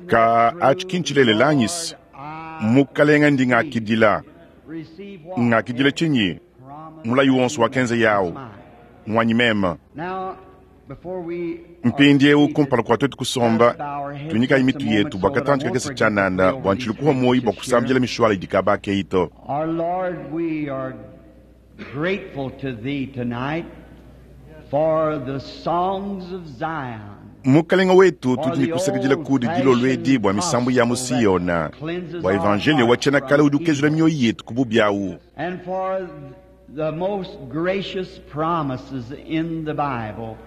Ka atshi ki ntshilelela anyi se, Mukalenga ndi ngakidila. Ngakidila tshinyi? Mulayi wonso wakenza yawu ngwanyi meme. Mpindieu kumpala kua tuetu kusomba, tuinyikayi mitu yetu bua katantshi kakese tshianana bua ntshilu kuhua muoyo bua kusambila mishuala idi kaba akeyi to. Our Lord, we are grateful to Thee tonight for the songs of Zion. Mukalenga wetu, tudi ne kusakidila kudi dilolo edi bua misambu ya mu Siona, bua evanjeliyo wa tshiena kale udi ukezula mioyo yetu ku bubi awu, And for the most gracious promises in the Bible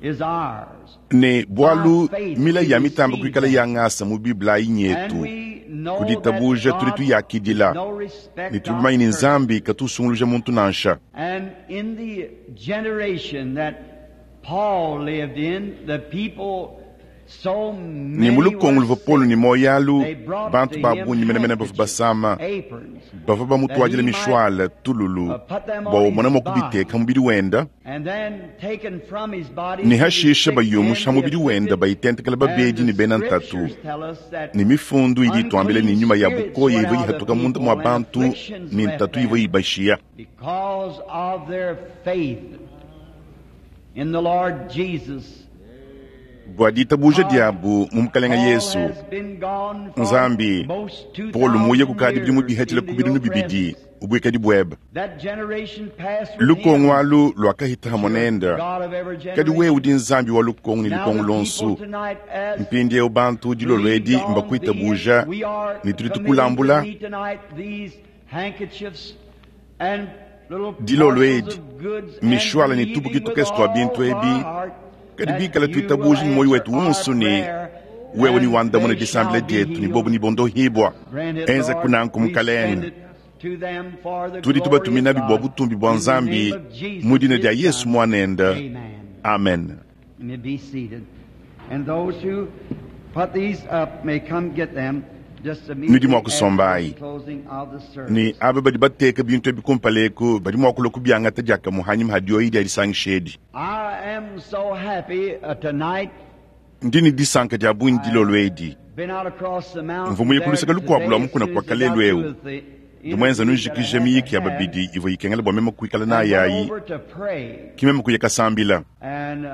is ours. Ne bualu milayi ya mitamba kuikala ya ngasa mu Bible ayi And nyetu, we know ku that ditabuja tudi God tuyakidila, is no respect ne tudi of bamanye ne persons. Nzambi katu usunguluja muntu nansha. And in the generation that Paul lived in, the people so Ne mu many lukongo were luvua Paulo sick, ne muoyo alu, they brought bantu to ba him bungi menemene bavua handkerchiefs, basama, aprons, bavua that bamutuadila he might mishuala, tululu, put them bua on umona his mua body. kubiteka mubidi wenda, And then taken from his body ne to the hashisha sick bayumusha and the mubidi wenda afflicted. bayitentekela And babedi the ne bena ntatu. scriptures tell us that Ne mifundu idi ituambila ne unclean nyuma ya spirits bukoya went ivua out of ihatuka munda people mua and bantu afflictions ne left ntatu ivua them ibashiya. because of their faith in the Lord Jesus. Bua ditabuja God, diabu mu Mukalenga Paul Yesu, has been gone for Nzambi, most Paulo muye 2,000 kukadi bidimu years bihetshila ku into bidimu your bibidi presence. ubuikadi buebe. That generation passed with Lukongo him. alu luakahita hamwe You're nende, God of every kadi wewe generation. udi Nzambi wa lukongo ne Now lukongo the people luonso. tonight, as Mpindieu bantu dilolo believed edi on thee, mbakuitabuja and we are ne tudi committing to tukulambula thee tonight these handkerchiefs and little dilolo parcels edi of goods and mishuala ne believing tubuki with tukese tua all bintu our ebi, heart kadi that bikala you will tuitabuja ne muoyo answer wetu our wonso ne prayer wewe ni and wandamuna they disambila shall be dietu ne bobu healed. ne bondohibwa. Grant it, Enza Lord. kunanku We send Mukalenge. it to them for the Tudi glory of tubatuminabi bua God. butumbi bua In the Nzambi name of Jesus, mu dina dia his Yesu Son. muanende. Amen. Amen. You may be seated. And those who put these up may come get them just Nudi mua immediately after the kusombayi. closing of the Ne service. aba badi bateka bintu ebi kumpala eku badi mua kulua kubiangata diakamue hanyima ha dioyi dia disangisha edi. I am so happy tonight. Ndi ne disanka dia bungi dilolo edi. Been out across the Mvua mountain muye there ku luseke lukuabu lua today as mukuna soon kua as I got kalelu through eu. with the Ndi muenza interviews that I nujikije had to miyiki ya have babidi ivua ikengela bua meme kuikala and nayi went ayi, over to pray. ki meme kuya kasambila. And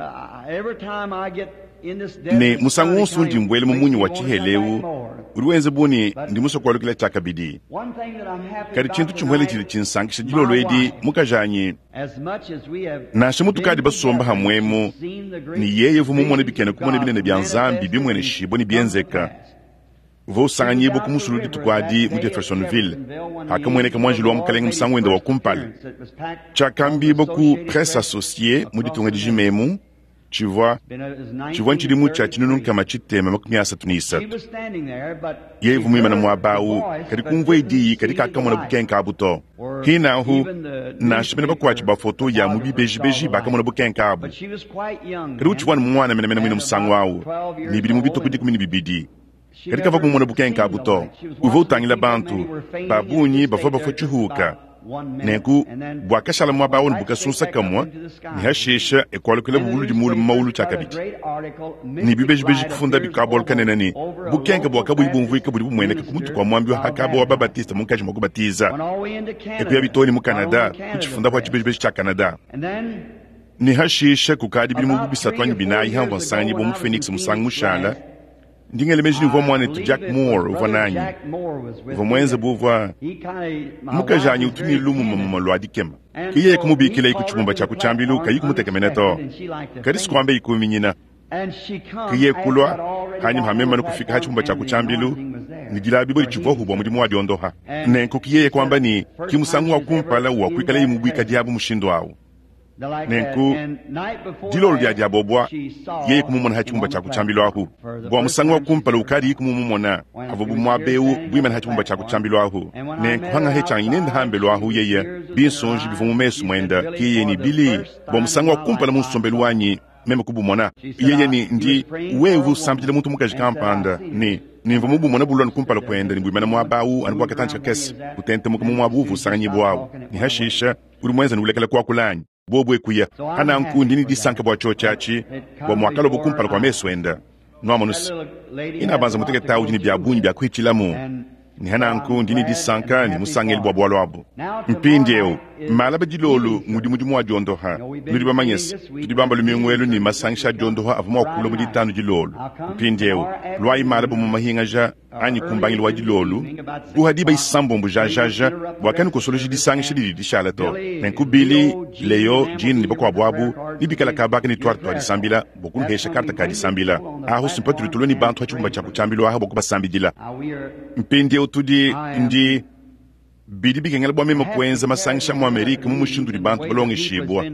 every time I get in this Ne desert musangu sun, it wonso kind ndi of mbuela mu makes munyi me wa want to come back tshiheleu, more. udi wenza bu ne But ndi musue kualukila tshiakabidi. one thing that I'm happy Kadi about tshintu tshimuele tshidi tonight, tshinsankisha my dilolo edi wife, mukajanyi, as much as we have nansha mutukadi been basomba together, she's hamwemu, seen the ne great yeye uvua mumone visions bikena of kumona God binene bia Nzambi manifested and bimueneshibua ne come to bienzeka. pass. Uvua She was usanganyibua down ku the musulu river dituku adi that mu day at Jeffersonville, Jeffersonville when the hakamueneka angel of muanjelu the wa Lord Mukalenge made his musangu wende wa first kumpala. appearance that was packed on the Tshiakambibua ku Associated Presse Press Associée mu across ditunga the dijima nation. emu, tshivua Been, it was tshivua ntshidimu tshia tshinunu 1933. nkama tshitema makumi asatu ne She isatu. was standing there, but Yeye she uvua muimane heard the muaba awu, voice kadi but kumvua didn't diyi kadi see the kakamona light. bukenke abu to. Or Hinahu, even the nansha bena bakuatshi newspaper ba foto ya mu photographers saw bibejibeji the light. bakamona bukenke abu. But she was quite young Kadi then, utshivua ne muana menemene muine and musangu about awu, 12 ne years bidimu old, bitue ku and dikumi ne bibidi. she Kadi kavua never kumona bukenke seen abu the to. light. She was Uvua watching the utangila people, many bantu were fainting ba and bungi just bavua stayed bafua there just tshihuka. about one minute. Nenku And then buakashala muaba went awu ne right straight bukasunsa back up kamue, into the ne sky. hashisha ekualukila And the buludi muulu mu maulu newspapers got a tshiakabidi. great article, Ne Mystic bibejibeji Light kufunda appears bikabualu over, kanene ne over a bukenke local buakabuyi Baptist bumvuika budi bumueneka ku mutu minister kua muambi wa of hakaba wa baptism. Babatista munkatshi mua kubatiza. Went all the way into Ekuya Canada, bitoo ne mu got on Canada, the Canada kutshifundapu press. tshibejibeji tshia Canada. And then Ne hashisha kukadi bidimu bu about bisatu 3 anyi or 4 binayi hamvua years ago nsanganyibua when mu I was in Phoenix musangu Phoenix mushala, last, ndi ngela meji ne uvua I muanetu believe Jack it was Moore uvua Brother nanyi. Jack Moore was with Uvua me muenze that buvua he kind of, my wife mukajanyi is utu ne very lumu timid. mumuma lua dikema. And Ke yeye so he kumubikila iku called her tshibumba to tshia the ku tshiambilu platform kayi kumutekemena to. unexpected and she liked to Kadi faint. sikuamba ikuminyina. And she come Ke yeye after I'd kulua already hanyima gotten ha on meme the ne kufika ha platform tshibumba tshia and ku the tshiambilu, anointing was there ne dilabi for ditshivua healing. bua mudimu wa diondoha. And Nenku ke yeye she kuamba said ne ki first time musangu wa she's ever kumpala wa in kuikala ye that mu buikadi presence abu mushindu awu. like that. Nenku And night before dilolo dia last, diabobua she saw yeye kumumona ha him tshibumba on tshia the ku tshiambilu platform. ahu. For the Bua first musangu wa time she's kumpala ever ukadi saw him. kumumumona When avua he bu was muaba here eu standing on buimana the ha tshibumba tshia ku platform, tshiambilu ahu. and when I Nenku met her hanga he tshanyi nende outside, hambelu she ahu with yeye tears was in her binsonji bivua mu eyes. mesu She said, muenda Billy, ke yeye for ne the Billy first bua time in musangu wa my kumpala life mu I nsombelu saw him. wanyi meme kubumona. She said, Yeye I, ne he was ndi praying wewe for a woman usambila muntu mukaji and said, I kampanda seen ne her. nimvua mubumona bulua kumpala Stood there kuenda ne just a buimana muaba moment, awu anu bua moved katantshi around where he kakese was at, kutentemuka and mu then muaba as uvua soon as he stopped usanganyibua awu. talking, it Ne went away. hashisha udi muenza ne ulekela kuakula anyi bobu ekuya. So I'm Hananku happy ndi ne for that. disanka bua tshiotshi atshi It bua come muakalobo before kumpala kua I. mesu enda. Nwamonu's, inabanza mutekete awu udi ne bia bungi bia kuhitshilamu, ne hananku ndi ne disanka ne musangelu bua bualu abu. Mpindiewu, malaba dilolu ngudi mudimu wa diondoha. Nudi bamanye se, tudi bamba lumingu elu ne masangisha a diondoha avua mua kulua mu ditanu dilolu. Mpindiewu, luayi malaba mu mahingaja anyi ku mbangilu wa dilolu, kuha diba isambombo jajaja, bua kanukosoloji disangisha didi dishala to. Nenku Billy, Leo, Gene ne bakuabu abu nebikala kabaka ne tuarte tua disambila bua kunuhesha karte ka disambila. Ahu simpa tudi tulua ne bantu ha tshibumba tshia ku tshiambilu aha bua kubasambidila. Mpindieu tudi, ndi, bidi bikengela bua meme kuenza masangisha mu Amerike mu mushindu udi bantu balongeshibua,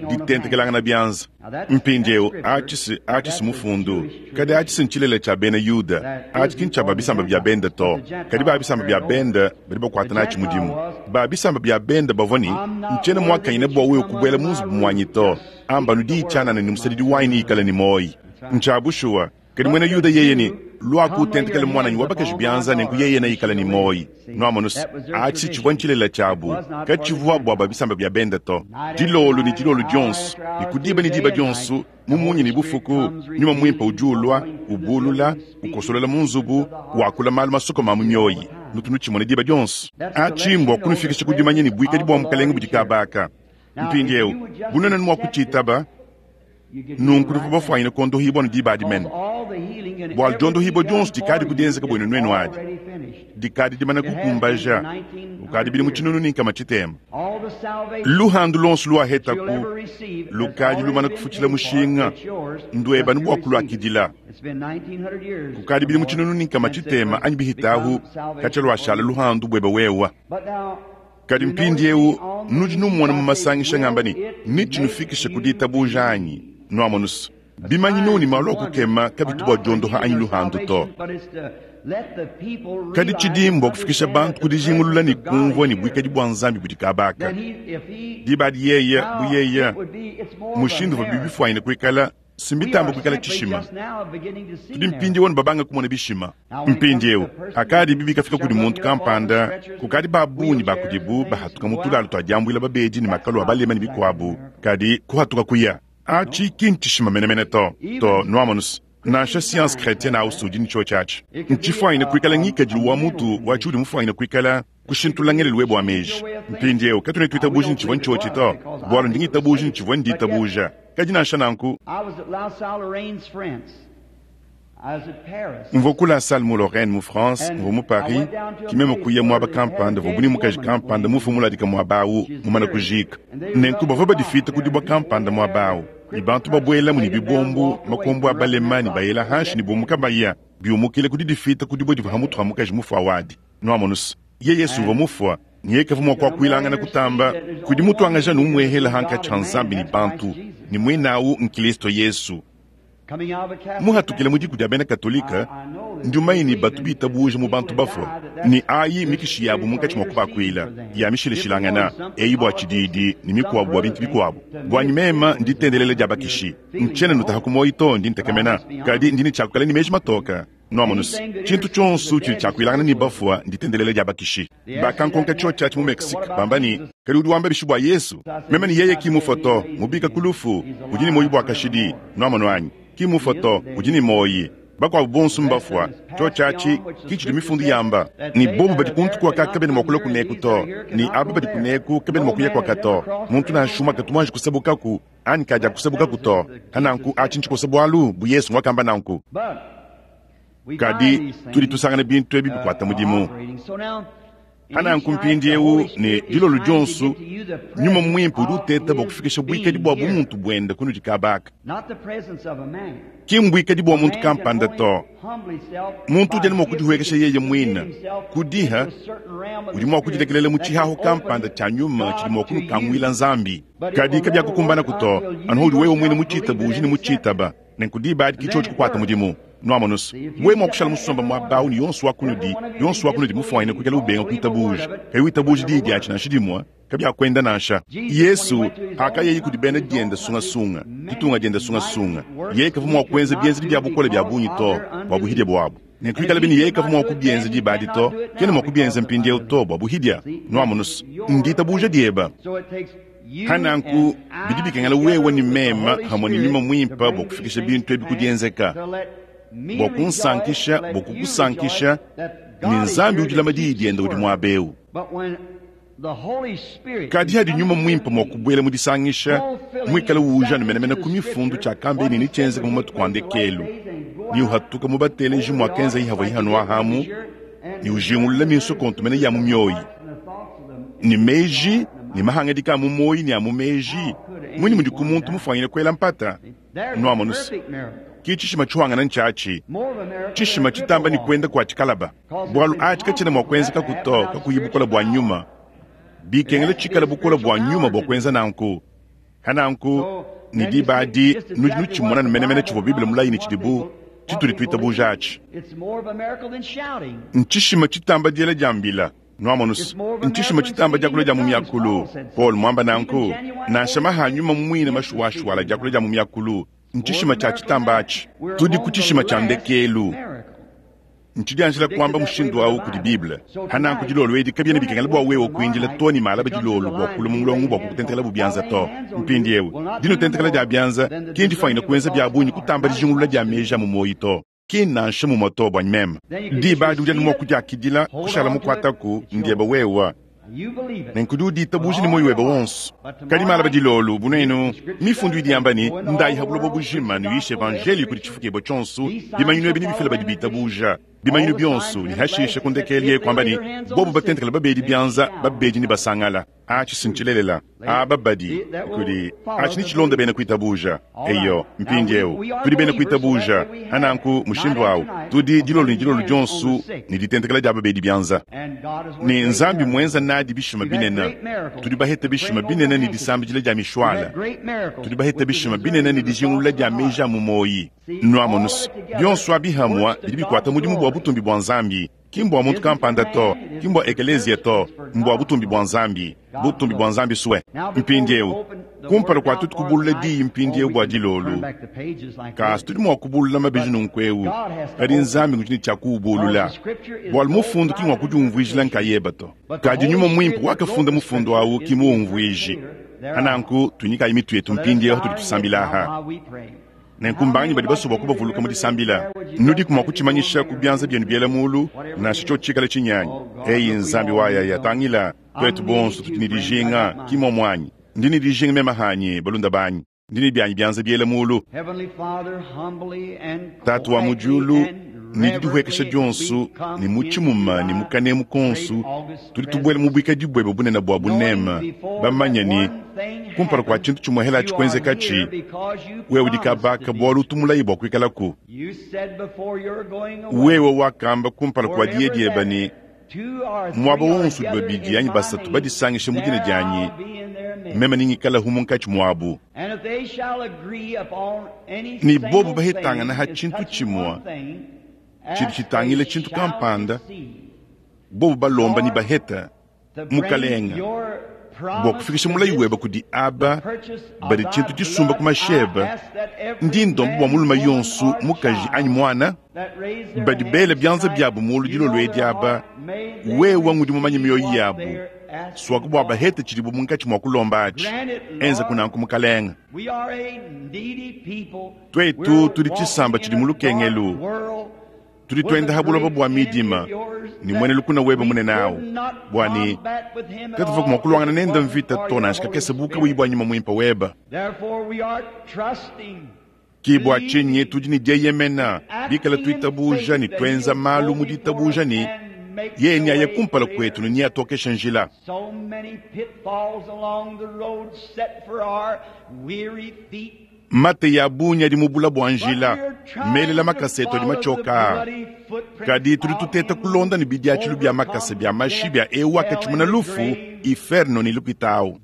ditentekelangana bianza. Mpindieu, atshi si, atshi si mufundu, kadi atshi si ntshilele tshia bena Yuda. Atshi ki ntshia ba bisamba bia bende to, kadi ba bisamba bia bende badi bakuata natshi mudimu. Ba bisamba bia bende bavua ne, Ntshiena muakanyine bua wewe kubuela mu nzubu muanyi to. Amba anu diyi tshianana ne musadidi wanyi neikale ne muoyi. Ntshia bushuwa. Kadi muena Yuda yeye ne, Luaku utentekele muananyi wa bakaji bianza, nenku yeye neikale ne muoyi. Nuamonu's, atshi tshivua ntshilela tshiabu, katshivua bua ba bisamba bia bende to. Dilolo ne dilolo dionso, ne ku diba ne diba dionso, mu munya ne bufuku, Nyuma Muimpe udi ulua, ubulula, ukosolola mu nzubu, wakula malu masokome a mu mioyi. Nutu nutshimona diba dionso. Atshi mbua kunufikisha ku dimanya ne buikadi bua Mukalenge budi kaba aka. Mpindieu, bu nuenu mua kutshitaba, Nunku nuvua bafuanyine kuondohibua anu diba adi mene, bualu diondohibua dionso dikadi ku dienzeka buenu nuenu adi dikadi dimana kukumbaja kukadi bidimu 600. Luhandu luonso luahetaku lukadi lumana kufutshila mushinga, ndueba anu bua kuluakidila. Kukadi bidimu 600 anyi bihitahu katshia luashala luhandu buebe wewa. Kadi mpindiewu nudi nummona mu masangisha ngamba ne, Netshinufikishe ku ditabuja anyi? Nuamonu's, bimanyinu ne malu a kukema kabitu bua diondoha anyi luhandu to. Kadi tshidi mbua kufikisha bantu ku dijingulula ne kumvua ne buikadi bua Nzambi budi kaba aka. Diba adi yeye, bu yeye, mushindu uvua bibifuanyine kuikala, Si mbitambe kuikala tshishima. Tudi mpindieu anu babange kumona bishima. Mpindieu, hakadibi bikafika kudi muntu kampanda, kukadi ba bungi ba kudibu bahatuka mu tulalu tua diambuila babedi ne makalu a balema ne bikuabu, kadi kuhatuka kuya. Atshi ki ntshishima menemene to. To, nuamonu's, nansha science chretienne ausi udi ne tshiotshi atshi. Ntshifuanyine kuikala ngikadilu wa mutu wa tshiudi mufuanyine kuikala. Kushintulula ngelelu webe wa meji. Mpindieu, katuena tuitabuja ne tshivua ntshiotshi to, bualu ndi ngitabuja ne tshivua nditabuja. Kadi nansha nanku, mvua ku La Salle mu Lorraine, mu France, mvua mu Paris, ki meme kuya muaba kampanda uvuabu ne mukaji kampanda mufue muladika muaba au, mumana kujiika. Nenku bavua badifita ku dibue kampanda muaba au, ne bantu babuelamu ne bibombu, makombo a balema, ne bayela hanshi ne bumuka baya, biumukile ku didifita ku dibue divua ha mutu ha mukaji mufue au adi. Nuamonu's, yeye Yesu uvua mufua, ne yeye kavua mua kuakuilangana kutamba kudi mutuangaja anu umuehela hankatshi ha Nzambi ne bantu, ne muinau n'Kilisto Yesu. Muhatukile mu diku dia bena Katolike, ndi mumanye ne batu bitabuja mu bantu bafua, ne ayi mikishi yabu munkatshi mua kubakuila, ya mishilashilangana, eyi bua tshididi ne mikuabu bua bintu bikuabu. Buanyi mema, nditendelela dia bakishi. Ntshiena nutaha ku muoyo to, ndi ntekemena, kadi ndi ne tshia kuikala ne meji matoke. Nuamonu's, tshintu tshionso tshidi tshiakuilangana ne bafua nditendelela dia bakishi. Bakankonka tshiotshi atshi mu Mexique, bamba ne, Kadi udi wamba bishi bua Yezu? Meme ne, Yeye ki mufue to, mubika ku lufu, udi ne muoyo bua kashidi. Nuamonu anyi? Ki mufue to, udi ne muoyo. Bakuabu bonso mbafua. Tshiotshi atshi ki tshidi Mifundu yamba, ne bobu badi kuntu kuaka kabena mua kulua kuneku to, ne aba badi kuneku kabena mua kuya kuaka to. Muntu nansha umue katu muanji kusabukaku anyi kadiakusabukaku to. Pananku atshi ntshikosa bualu, bu Yesu nguakamba nanku. Kadi tudi tusangana bintu ebi bikuata mudimu. Pananku mpindiewu ne dilolo dionso, Nyuma Muimpe udi uteta bua kufikisha buikadi bua bumuntu buende kunudi kaba aka. Ki mbuikadi bua muntu kampanda to. Muntu udi anu mua kudihuekesha yeye muine ku diha, udi mua kudilekelela mu tshihahu kampanda tshia nyuma tshidi mua kunukanguila Nzambi. Kadi kabiakukumbanaku to, anu haudi wewe muine mutshitabuje ne mutshitaba. Nenku diba adi ki tshiotshi kukuata mudimu. Nuamonu's, wewe mua kushala musomba muaba awu ne yonso wa kunudi, yonso wa kunudi mufuanyine kuikala ubenga kuitabuja, kayi witabuja diyi diatshi nansha dimue, kabiakuenda nansha. Yesu, pakayeye kudi bena diende sungasunga, ditunga diende sungasunga, yeye kavua mua kuenza bienzedi bia bukole bia bungi to, bua buhidia buabu. Nenku bikalabi ne yeye kavua mua kubienza diba adi to, kena mua kubienza mpindieu to, bua buhidia. Nuamonu's, nditabuja dieba. Pa nanku, bidi bikengela wewe ne meme pamue ne nyuma muimpe bua kufikisha bintu ebi ku dienzeka, bua kunsankisha, bua kukusankisha, ne Nzambi udi ulama diyi diende udi muaba eu. Kadi hadi nyuma muimpe mua kubuela mu disangisha, muikale uuja anu menemene ku mifundu tshiakambeye ne netshienzeke mu matuku a ndekelu, ne uhatuka mu bateleji muakenzaye havuaye hanuahamu, ne ujingulula minsokonto mene ya mu mioyi ne meji ne mahangadika a mu muoyi ne a mu meji, munyi mudi ku muntu mufuanyine kuela mpata? Nuamonu se, ki tshishima tshihuangana ntshiatshi, tshishima tshitamba ne kuenda kua tshikalaba, bualu atshi katshiena mua kuenzekaku to kakuyi bukole bua nyuma. Bikengela tshikale bukole bua nyuma bua kuenza nanku. Pa nanku, ne diba adi nudi nutshimona menemene tshivua Bible mulaye ne tshidibu tshitudi tuitabuja atshi. Ntshishima tshitamba diela dia mbila. Nuamonus, ntshishima tshitamba diakula dia mu miakulu. Paulo muamba nanku, nansha maha a nyuma muine mashuwashuwala diakula dia mu miakulu, ntshishima tshia tshitamba atshi. Tudi ku tshishima tshia ndekelu. Ntshidianjila kuamba mushindu au kudi Bible. Pa nanku dilolo edi kabiena bikengela bua wewe kuindila too ne malaba dilolo bua kulua mu mulongo bua kukutentekelabu bianza to. Mpindieu, dinutentekela dia bianza ki ndifuanyine kuenza bia bungi kutamba dijingulula dia meji a mu muoyo to. Ki nansha mumue to buanyi meme. Diba adi udi anu mua kudiakidila, kushala mukuataku, ndiebe wewe. Nenku udi uditabuja ne muoyo webe wonso. Kadi malaba dilolo, bu nuenu, Mifundu idi yamba ne, Ndayi ha buloba bujima, nuyishe evanjeliyo kudi tshifukibua tshionso, bimanyinu ebi nebifile badi bitabuja. Bimanyinu bionso, ne hashishe ku ndekelu yeye kuamba ne, Bobo batentekela babedi bianza, babedi nebasangala. Atshi si ntshilelela. Aba badi, kudi, atshi netshilonde bena kuitabuja. Eyo, mpindieu, tudi bena kuitabuja. Pa nanku, mushindu au, tudi, dilolo ne dilolo dionso, ne ditentekela dia babedi bianza. Ne Nzambi muenza nadi bishima binene. Tudi bahete bishima binene ne disambidila dia mishuala. Tudi bahete bishima binene ne dijingulula dia meji a mu muoyi. Nuamonus, bionso abi hamua bidi bikuata mudimu bua butumbi bua Nzambi. Ki mbua muntu kampanda to, ki mbua ekeleziya to, mbua butumbi bua Nzambi, butumbi bua Nzambi sue. Mpindieu, kumpala kua tuetu kubulula diyi mpindieu bua dilolo, kasi tudi mua kubulula mabeji nunku eu, kadi Nzambi ngudi ne tshia kuubulula, bualu mufundu ki ngua kudiumvuijila nkayeba to, kadi Nyuma Muimpe wakafunda mufundu au ki muumvuiji. Pa nanku tuinyikayi mitu yetu mpindieu hatudi tusambila aha. Nenku mbanganyi badi basue bua kubavuluka mu disambila? Nudiku mua kutshimanyisha ku bianza bienu biela mulu, nansha tshiotshi tshikale tshinyanyi. Eyi Nzambi wa yaya, tangila, tuetu bonso tudi ne dijinga, ki muomu anyi? Ndi ne dijinga meme hanyi, balunda banyi, ndi ne bianyi bianza biela mulu. Tatu wa mu diulu, ne didihuekesha dionso, ne mu tshimuma ne mu kanemu konso, tudi tubuela mu buikadi buebe bunene bua buneme, bamanye ne, kumpala kua tshintu tshimue helatshi kuenzekatshi, wewe udi kabaka bualu utu mulaye bua kuikalaku. Wewe wakamba kumpala kua diya diebe ne, Muaba wonso udi babidi anyi basatu badisangisha mu dina dianyi, meme nengikalahu munkatshi muabu. Ne bobu bahetangana ha tshintu tshimue tshidi tshitangila tshintu kampanda, bobu balomba ne baheta, Mukalenga, bua kufikisha mulayi webe kudi aba badi tshintu tshisumba ku mashi ebe, ndi ndomba bua mulume yonso, mukaji anyi muana, badi bela bianza biabu mulu dilolo edi aba, wewe ngudi mumanye mioyo yabu, suaku bua bahete tshidibu munkatshi mua kulomba atshi. Enzaku nanku, Mukalenga. Tuetu tudi tshisamba tshidi mu lukengelu. Tudi tuenda ha buloba bua midima ne muena lukuna webe munene au, bua ne katuvuaku mua kuluangana nende mvita to nansha kakese bu kabuyi bua nyuma muimpe webe. Ke bua tshinyi tudi ne dieyemena, bikale tuitabuja ne tuenza malu mu ditabuja ne yeye neaye kumpala kuetu ne neatokeshe njila. Mateyi a bungi adi mu bula bua njila, melela makasa etu adi matshioka aa. Kadi tudi tuteta kulonda ne bidiatshilu bia makasa bia mashi bia eu wakatshimuna lufu, iferno ne lukita au.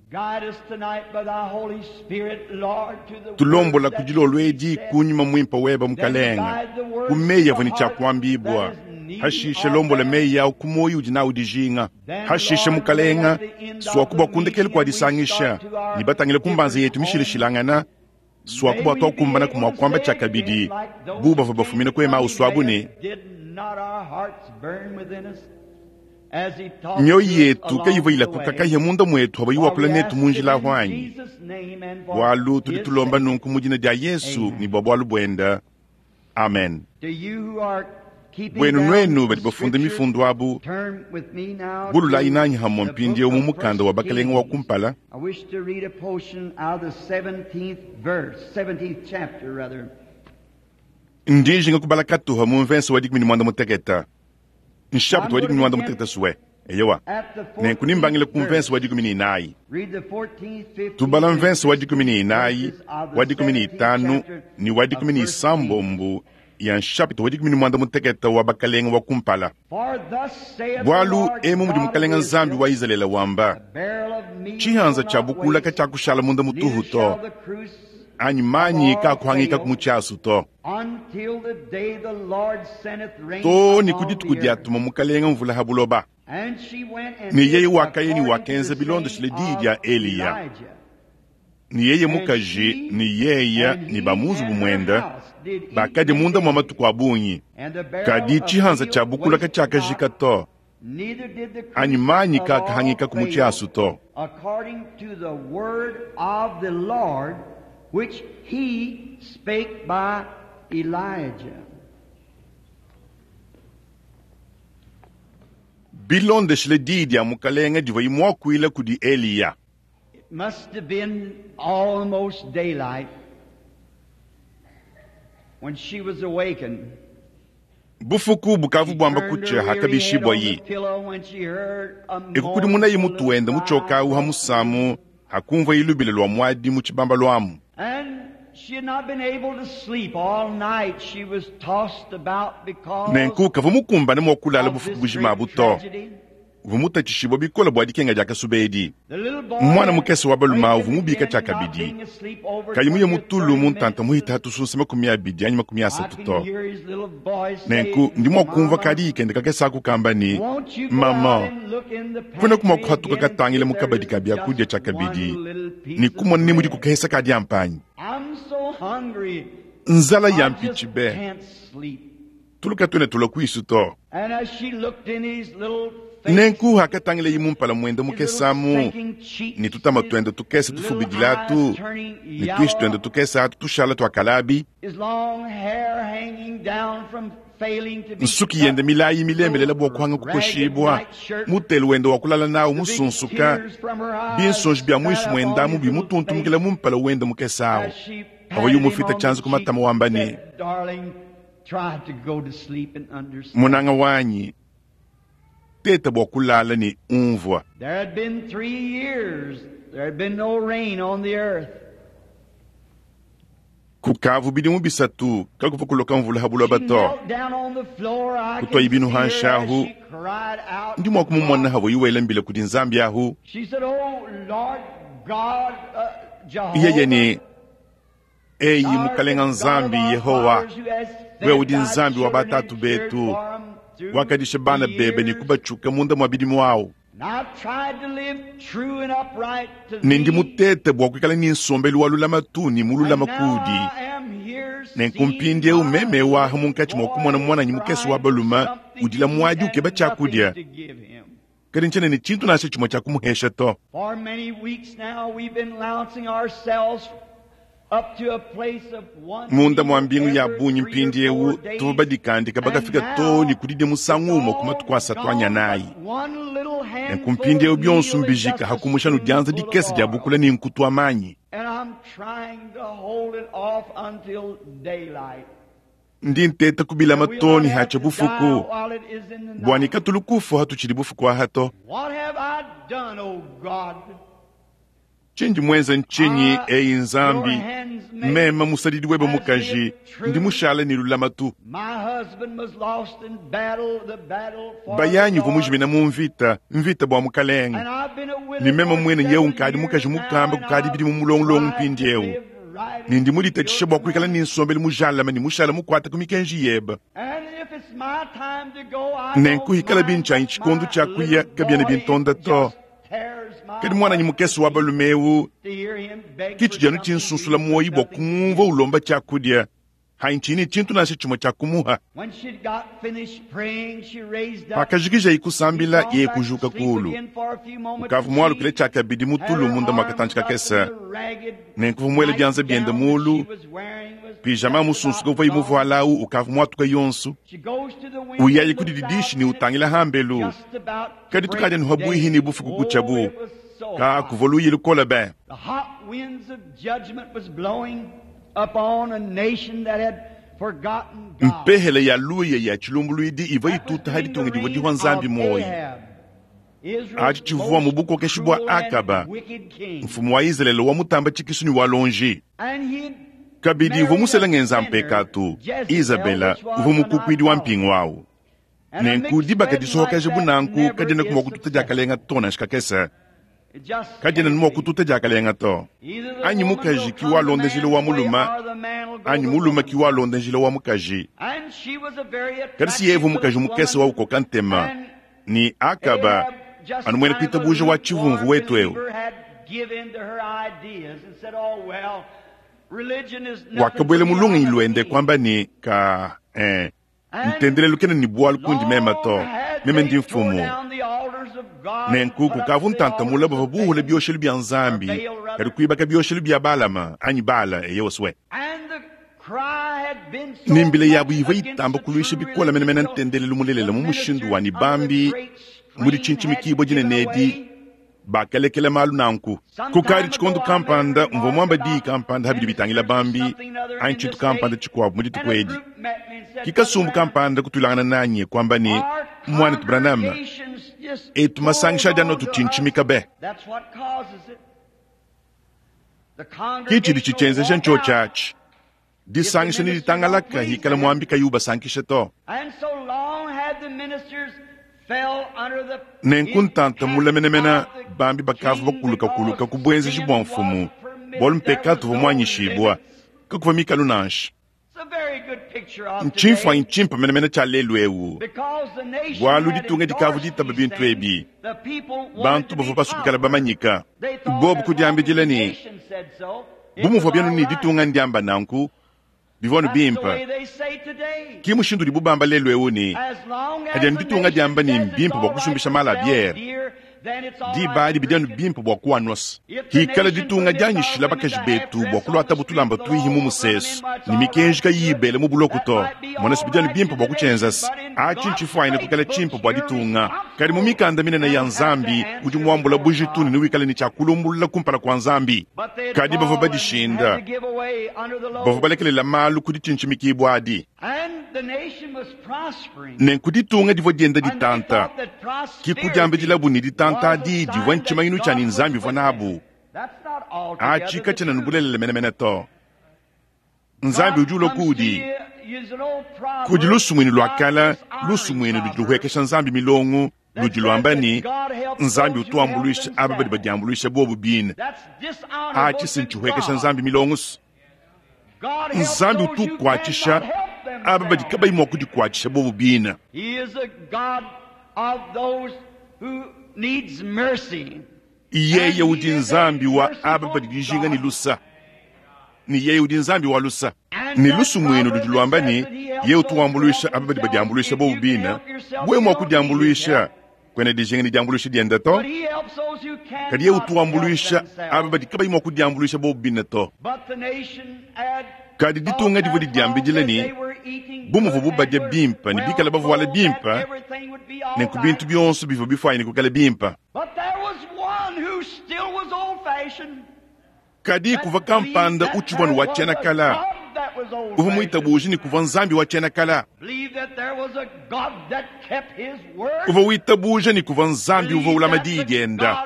Tulombola ku dilolo edi ku Nyuma Muimpe webe, Mukelenge, ku meyi avua ne tshia kuambibua. Hashishe lombola meyi au ku muoyo udi nawu dijinga. Hashishe Mukalenga, suaku bua kundekelu kua disangisha ne batangile ku mbanza yetu mishilashilangana, suaku bua tuakumbana ku mua kuamba tshiakabidi bu bavua bafumine ku Emausu abu ne, Mioyo yetu kayivua ilakuka kahia munda muetu habayi wakula netu mu njila ahu anyi? Bualu tudi tulomba nunku mu dina dia Yesu ne bua bualu buenda. Amen. Buenu nuenu badi bafunda mifundu abu, bululayi nanyi hamue mpindieu mu mukanda wa Bakelenge wa kumpala. Ndi njinga kubala katuha mu mvensa wa 16, nshapita wa 16 sue. Eyowa, nenku nimbangile ku mvensa wa 14. Tubala mvensa wa 14, wa 15 ne wa 16 ya nshapita wa 16 wa Bakelenge wa kumpala. Bualu emu mudi Mukalenga Nzambi wa Izalele wamba, tshihanza tshia bukula katshiakushala munda mutuhu to, anyi manyi kakuhangika ku mutshiasu to, to ne ku dituku diatuma Mukalenga mvula ha buloba. Ne yeye wakaya ne wakenza bilondeshile diyi dia Eliya. Ne yeye mukaji ne yeye ne ba mu nzubu muende bakadi munda mua matuku a bungi, kadi tshihanza tshia bukula katshiakajika to, anyi manyi kakahangika ku mutshiasu to. Which he spake by Elijah. Bilondeshile diyi dia Mukalenga divua muakuila kudi Eliya. It must have been almost daylight when she was awakened. Bufuku bukavu buamba kutsha hakabishibua yi. Ekukudimunayi mutu wende mutshiokawu ha musamu hakumvua ilubile lua muadi mu tshibamba luamu. Nenku kavua mukumbane mua kulala bufuku bujima abu to. Uvua mutatshishibua bikole bua dikenga dia kasuba edi. Mwana mukese wa balume uvua mubika tshiakabidi, kayi muye mutulu mu ntanta muhita tusunsa 20 anyi 30 to. Nenku ndi mua kumvua kadi kende kakese aku kamba ne, mama, kuenaku mua kuhatuka katangile mu kabadi ka biakudia tshiakabidi ne kumona ne mudi kukehesa ka diampanyi. Nzala ya mpitshi be, tuluka tuene tulua kuisu to. Nenku hakatangile mumpala muende mukesamu ne tutama tuende tukese tufubidilatu ne tuishi tuende tukese atu tushala tuakalabi, nsuki yende milayi milembelela bua kuhanga kukoshibua, mutelu wende wa kulala nawu musunsuka, binsonji bia muisu muendamu bimutuntumukila mumpala wende mukesawu. Avua yumufita tshianza ku matama wamba ne, munanga wanyi, teta bua kulala ne umvua. There had been 3 years, there had been no rain on the earth. Kukavu bidimu bisatu kakuvua kuloka mvula ha buloba to. Kutua ibinu hanshahu, ndi mua kumumona havua iwela mbila kudi Nzambi ahu. Yeye ne, eyi Mukalenga Nzambi Yehowa, wewe udi Nzambi wa batatu betu, wakadisha bana bebe ne kubatshuka munda mua bidimu awu. Ne ndi mutete bua kuikala ne nsombelu wa lulamatu ne mululama kudi. Nenku mpindieu meme waha munkatshi mua kumona mwananyi mukese wa balume udila muadi ukeba tshiakudia, kadi ntshiena ne tshintu nansha tshimue tshia kumuhesha to. Munda mua mbingu ya bungi mpindieu tuvua badikandika bakafika to ne kudidia musangu umue ku matuku asatu anyanayi. Nenku mpindieu bionso mbijika hakumusha nudianza dikese dia bukula ne nkutu wa manyi. Ndi nteta kubilama to ne hatsha bufuku, bua ne katulu kufu hatutshidi bufuku aha to. Tshindi muenze ntshinyi, eyi Nzambi, meme musadidi webe mukaji, ndi mushala ne lulamatu. Bayanyi uvua mujimina mu mvita, mvita bua Mukalenga. Ne meme muene yeu nkadi mukaji mukamba kukadi bidimu mulongolongo mpindieu. Ne ndi muditatshishe bua kuikala ne nsombelu mujalame ne mushala mukuata ku mikenji yebe. Nenku hikala bintshanyi tshikondo tshia kuya kabiena bintonda to. Kadi mwananyi mukese wa balume eu, kitshi dianu tshinsunsula muoyi bua kumumvua ulomba tshiakudia. Hanyi tshiyi ne tshintu nansha tshimue tshia kumuha. Pakajikijaye kusambila, yeye kujuka kuulu. Ukavua mualukile tshiakabidi mu tulu munda mua katantshi kakese, nenku uvua muele bianza biende muulu, pijama musunsuke uvuaye muvuale au ukavua muatuke yonso. Uyaye ku dididishi ne utangila hambelu, kadi tukadi anu pabuihi ne bufuku kutshiabu. Ka kuvua luyi lukole be! Mpehele ya luya ya tshilumbuluidi ivua ituta ha ditunga divua dihua Nzambi muoyo. Atshi tshivua mu bukokeshi bua Akaba, mfumu wa Izalele wa mutamba tshikisu ne wa lonji. Kabidi uvua musele ngenza mpekatu Izabela, uvua mukukuidi wa mpingu au. Nenku dibaka disohokaja bu nanku kadienaku mua kututa diakalenga to nansha kakese. Kadiena mua kututa diakalenga to. Anyi mukaji ki walonda njila wa mulume, anyi mulume ki walonda njila wa mukaji. Kadi si yeye uvua mukaji mukese wa ukoka ntema, ne Akaba anu muena kuitabuja wa tshivumvu wetu eu. Wakabuela mu lungenyi luende kuamba ne, Ka, eh, Ntendelelu kena ne bualu kundi meme to, meme ndi mfumu. Nenku kukavu ntanta mule bavua buhule bioshelu bia Nzambi, kadi kuibaka bioshelu bia Balama anyi Bala, eyowa swe. Ne mbila yabu ivua itamba kuluisha bikole menemene ntendelelu mulelela mu mushindu wa ne bambi mu ditshintshimikibua dinene edi bakalekela malu nanku. Kukadi tshikondo kampanda mvua muamba diyi kampanda habidi bitangila bambi anyi tshintu kampanda tshikuabu mu dituku edi. Ki kasumbu kampanda kutuilangana nanyi kuamba ne, Muanetu Branham, etu masangisha adi anu atutshintshimika be. Ki tshidi tshitshienzeja ntshiotshi atshi. Disangisha ne ditangalaka hikala muambi kayi ubasankisha to. Nenku ntanta mule menemene bambi bakavua bakulukakuluka ku buenzeji bua mfumu, bualu mpekatu uvua muanyishibua, kakuvua mikalu nansha. Ntshimfuanyi tshimpe menemene tshia lelu eu, bualu ditunga dikavua ditaba bintu ebi, bantu bavua basue kuikala bamanyika. Bobu kudiambidila ne, Bu muvua bianu ne ditunga ndiamba nanku, bivua anu bimpe. Ke mushindu udibu bamba lelu eu ne, padi anu ditunga diamba ne, mbimpe bua kusumbisha mala a biere, diba adi bidi anu bimpe bua kuanuasa. Hikala ditunga dianyishila bakaji betu bua kuluatabu tulamba tuihi mu musesu ne mikenji kayiyi ibela mu buloko to, mona se bidi anu bimpe bua kutshienzase. Atshi ntshifuanyine kuikala tshimpe bua ditunga. Kadi mu mikanda minene ya Nzambi, udi muambula bujitu ne newikale ne tshia kulumbulula kumpala kua Nzambi. Kadi bavua badishinda, bavua balekelela malu ku ditshintshimikibua adi. Nenku ditunga divua dienda ditanta, ke kudiambidilabu ne, ditanta adi divua ntshimanyinu tshia ne Nzambi uvua nabu. Atshi katshiena ne bulelela menemene to. Nzambi udi ulua kuudi. Kudi lusumuinu lua kale, lusumuinu ludi luhuekesha Nzambi milongo, ludi luamba ne, Nzambi utu wambuluisha aba badi badiambuluisha bobu bine. Atshi si ntshihuekesha Nzambi milongo. Nzambi utu ukuatshisha aba badi kabayi mua kudikuatshisha bobu bine. Yeye udi Nzambi wa aba badi dijinga ne lusa, ne yeye udi Nzambi wa lusa. Ne lusumuinu ludi luamba ne, yeye utu wambuluisha aba badi badiambuluisha bobu bine. Wewe mua kudiambuluisha, kuena dijinga ne diambuluisha diende to. Kadi yeye utu wambuluisha aba badi kabayi mua kudiambuluisha bobu bine to. Kadi ditunga divua didiambidila ne, bu muvuabu badia bimpe ne bikale bavuala bimpe, nenku bintu bionso bivua bifuanyine kuikala bimpe. Kadi kuvua kampanda utshivua ne wa tshiena-kala, uvua muitabuje ne kuvua Nzambi wa tshiena-kala. Uvua witabuja ne kuvua Nzambi uvua ulama diyi dienda,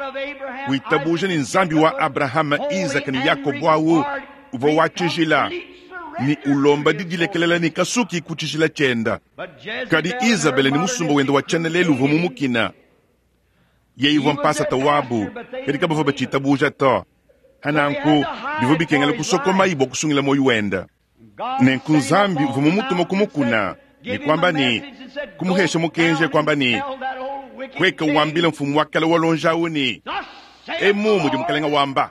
witabuja ne Nzambi wa Abrahama, Izaka ne Yakobo au uvua wa tshijila ne ulomba didilekelela ne kasuki ku tshijila tshienda. Kadi Izabele ne musumba wende wa tshiena-lelu uvua mumukina. Yeye uvua mpasata wabu, kadi kabavua batshitabuja to. Nanku bivua bikengela kusokomayi bua kusungila muoyo wende. Nenku Nzambi uvua mumutume ku mukuna ne kuamba ne, kumuhesha mukenji kuamba ne, Pueka wambile mfumu wa kale wa lonji au ne, Emu mudi mukalenge wamba,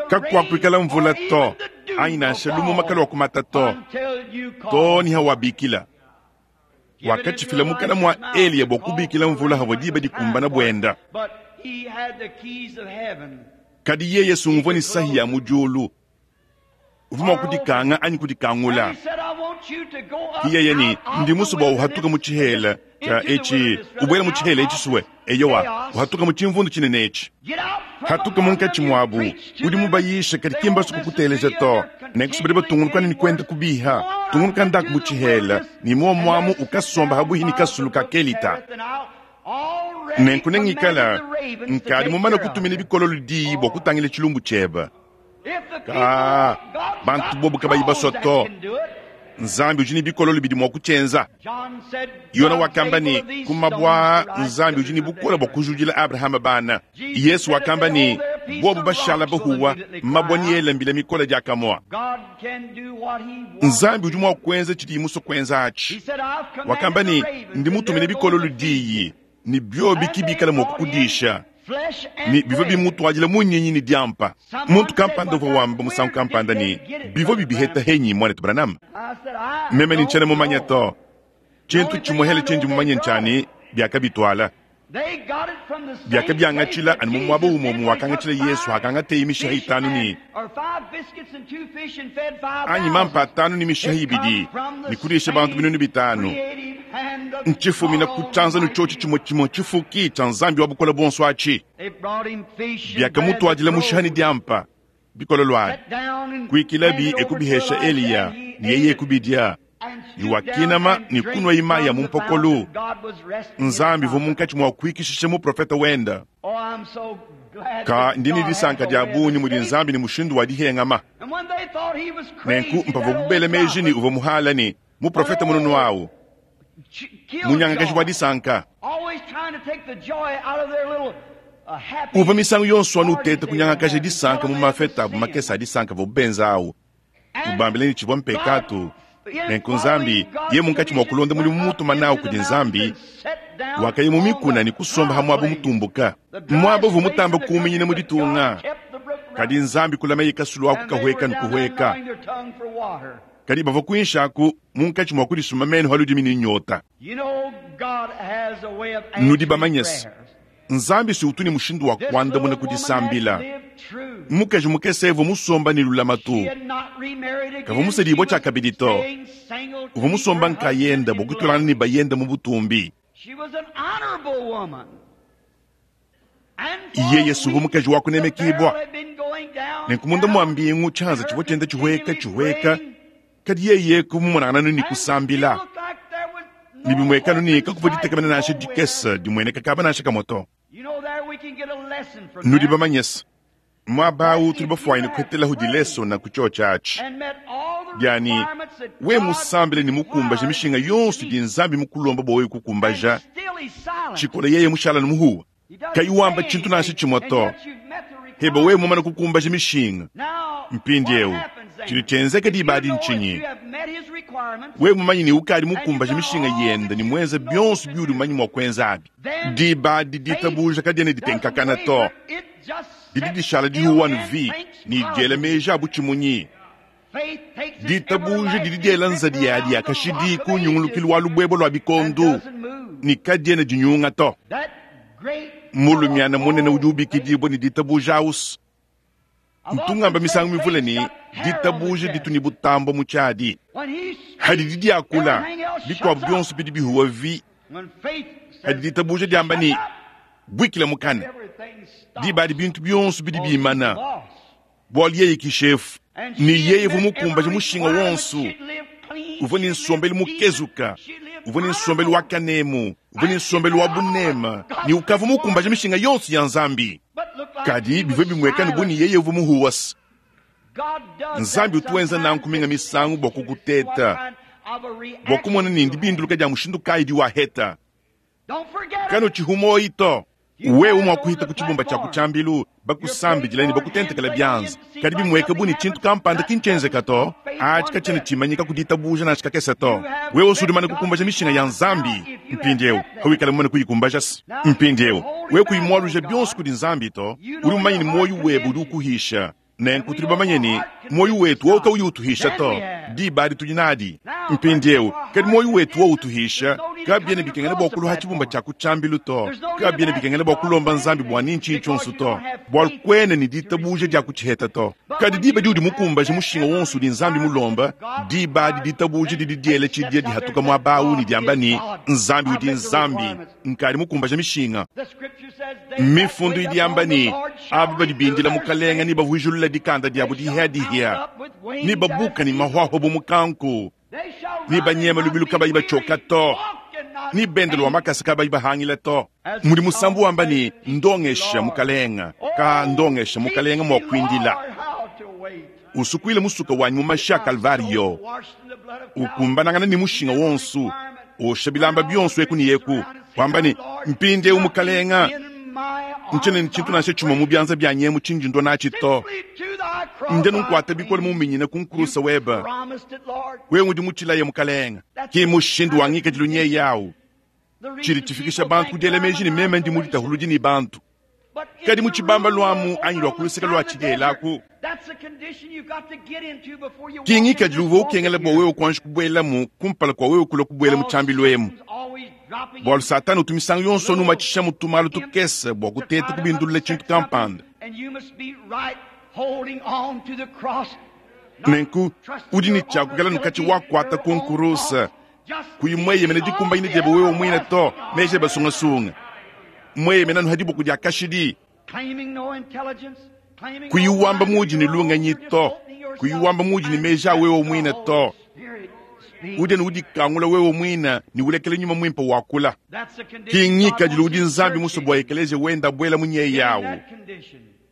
kakuakuikala mvula to. Anyi nansha lumuma kaluakumata to, too ne hawabikila. Wakatshifila mukana mua Eliya bua kubikila mvula havua diba dikumbana buenda. Kadi yeye sunguvua ne sahi ya mu diulu, uvua mua kudikanga anyi kudikangula. Ki yeye ne, Ndi musue bua uhatuke mu tshihela tshia etshi, ubuele mu tshihela etshi sue. Eyowa, uhatuke mu tshimvundu tshinene etshi. Hatuka munkatshi muabu, udi mubayishe, kadi ki mbasue kukuteleja to. Nenku badi batungunuka ne kuenda kubiha. Tungunuka ndaku mu tshihela, ne muomu amu ukasomba habuihi ne kasulu ka Kelita. Nenku nengikala nkadi mumane kutumina bikololo diyi bua kutangila tshilumbu tshiebe. Ka bantu bobu kabayi basua to, Nzambi udi ne bikololo bidi mua kutshienza. Yona wakamba ne, ku mabue aa Nzambi udi ne bukole bua kujudila Abrahama bana. Yesu wakamba ne, bobu bashala bahuwa, mabue neele mbila mikole diakamue. Nzambi udi mua kuenza tshidiye musue kuenza atshi. Wakamba ne, ndi mutumine bikololo diyi, ne biobi ki bikala mua kukudisha. Ne bivua bimutuadila munyinyi ne diampa. Muntu kampanda uvua wamba musangu kampanda ne, bivua bibiheta henyi, muanetu Branham? Meme ne ntshiena mumanye to. Tshintu tshimuehele tshindi mumanye ntshia ne, biakabituala. Biakabiangatshila anu mu muaba umue umue wakangatshila Yesu hakangateye mishiha itanu ne anyi mampa atanu ne mishiha ibidi ne kudisha bantu 5000. Ntshifumina ku tshianza ne tshiotshi tshimue tshimue tshifuki tshia Nzambi wa Bukole Buonso atshi. Biakamutuadila mushiha ne diampa bikololo abi, kuikilabi e kubihesha Eliya, ne yeye kubidia. Ne wakinama ne kunua mayi a mu mpokolo. Nzambi uvua munkatshi mua kuikishisha muprofete wenda. Ka ndi ne disanka dia bungi mudi Nzambi ne mushindu wa dihengama. Nenku mpavua bela meji ne uvua muhala ne muprofete mununu awu, munyangakaji wa disanka. Uvua misangu yonso anu uteta kunyangakaja disanka mu mafeta abu makese a disanka avuabu benza awu, ubambila ne tshivua mpekatu. Nenku Nzambi, yeye munkatshi mua kulonda mudimu mutuma nawu kudi Nzambi, wakaya mu mikuna ne kusomba ha muaba mutumbuka, muaba uvua mutamba kuuminyina mu ditunga. Kadi Nzambi kulamaye kasulu aku kahueka ne kuhueka. Kadi bavua kuinshi aku munkatshi mua kudisuma menu ha ludimi ne nyota. Nudi bamanye se, Nzambi si utu ne mushindu wa kuandamuna ku disambila. Mukaji mukese uvua musomba ne lulamatu, kavua musedibue tshiakabidi to. Uvua musomba nkayende bua kutulangana ne bayende mu butumbi. Yeye si uvua mukaji wa kunemekibua. Nenku munda mua mbingu tshianza tshivua tshienda tshihueka tshihueka, kadi yeye kumumonangana ne kusambila. Ne bimuekanu ne kakuvua ditekemena nansha dikese dimueneka kaba nansha kamue to. Nudi bamanye se, muaba awu tudi bafuanyine kuhetelahu dilesona ku tshiotshi atshi dia ne, we musambile ne mukumbaje mishinga yonso idi Nzambi mukulomba bua wewe kukumbaja, tshikola yeye mushala ne muhuwa, kayi wamba tshintu nansha tshimue to. Heba wewe mumane kukumbaja mishinga. Mpindieu tshidi tshienzeka diba adi ntshinyi? Wewe mumanye ne ukadi mukumbaje mishinga yende ne muenze bionso biudi mumanye mua kuenza abi, diba adi ditabuja kadiena ditenkakana to, didi dishala dihuwa ne vi ne diela meji a butshimunyi. Ditabuja didi diela nzadi yadi ya kashidi ku nyungulukilu wa lubuebue lua bikondo ne kadiena dinyunga to. Mulumiana munene udi ubikidibua ne ditabuja ausu. Ntungamba misangu mivule ne ditabuja ditu ne butambo mu tshiadi. Hadidi diakula, bikuabu bionso bidi bihuwa vi. Hadi ditabuja diamba ne buikila mukana, diba adi bintu bionso bidi bimana. Bualu yeye ki shefu, ne yeye uvua mukumbaje mushinga wonso. Uvua ne nsombelu mukezuka, uvua ne nsombelu wa kanemu, uvua ne nsombelu wa bunema, ne ukavua mukumbaje mishinga yonso ya Nzambi. Kadi bivua bimuekane bu ne yeye uvua muhuwasa. Nzambi utu wenza nanku minga misangu bua kukuteta, bua kumona ne ndibinduluka dia mushindu kayi diwaheta. Kanu tshihumoyi to. Wewe mua kuhita ku tshibumba tshia kutshiambilu, bakusambidila ne bakutentekela bianza, kadi bimueka bu ne tshintu kampanda ki ntshienzeka to. Atshi katshiena tshimanyika ku ditabuja nansha kakese to. Wewe usudi mumane kukumbaja mishinga ya Nzambi mpindieu, hawikala mumane kuyikumbaja se mpindieu wewe kuyimualuja bionso kudi Nzambi to. Udi mumanye ne muoyo webe udi ukuhisha. Nenku tudi bamanye ne, muoyo wetu wowu kawuyi utuhisha to, diba adi tudi nadi mpindieu. Kadi muoyo wetu wowu utuhisha, kabiena bikengela bua kuluha tshibumba tshia ku tshiambilu to, kabiena bikengela bua kulomba Nzambi bua ni ntshinyi tshionso to, bualu kuena ne ditabuja dia kutshiheta to. Kadi diba diudi mukumbaje mushinga wonso udi Nzambi mulomba, diba adi ditabuja didi diela tshidia dihatuka muaba au ne diamba ne, Nzambi udi Nzambi, nkadi mukumbaje mishinga. Mifundu idi yamba ne, aba badi bindila Mukalenga nebavuijulule dikanda diabu dihiadihia, nebabuka ne mahuahua bu mukanku, nebanyema lubilu kabayi batshioka to, nebende lua makasa kabayi bahangila to. Mudi musambu wamba ne, Ndongesha, Mukalenga, ka ndongesha, Mukalenga, mua kuindila. Usukuile musuka wanyi mu mashi a Kalvariyo, ukumbanangana ne mushinga wonso, osha bilamba bionso eku ne eku, wamba ne, Mpindieu Mukalenga, ntshiena ne tshintu nansha tshimue mu bianza bianyi emu tshindi ndua natshi to. Ndi anu nkuata bikole muminyine ku nkrusa webe. Wewe udi mutshilaye, Mukalenga. Ki mushindu wa ngikadilu nyeye au. Tshidi tshifikisha bantu ku diela meji ne meme ndi muditahuludi ne bantu. Kadi mu tshibambalu amu anyi lua ku luseke lua tshidela aku, ki ngikadilu uvua ukengela bua wewe kuanji kubuelamu kumpala kua wewe kulua kubuela mu tshiambilu emu. Bualu Satana utu misangu yonso anumatshishamu tumalu tukese bua kuteta kubindulula tshintu kampanda. Nenku udi ne tshia kuikala nukatshi wakuata ku nkuruse, kuyi mueyemene dikumbanyina diebe wewe muine to, meji ebe sungasunga, mueyemena anu ha diboko dia kashidi, kuyi wamba muudi ne lungenyi to, kuyi wamba muudi ne meji a wewe muine to, udi anu udikangula wewe muine ne ulekela Nyuma Muimpe wakula. Ki ngikadilu udi Nzambi musue bua ekeleziya wende abuela mu nyeyi awu.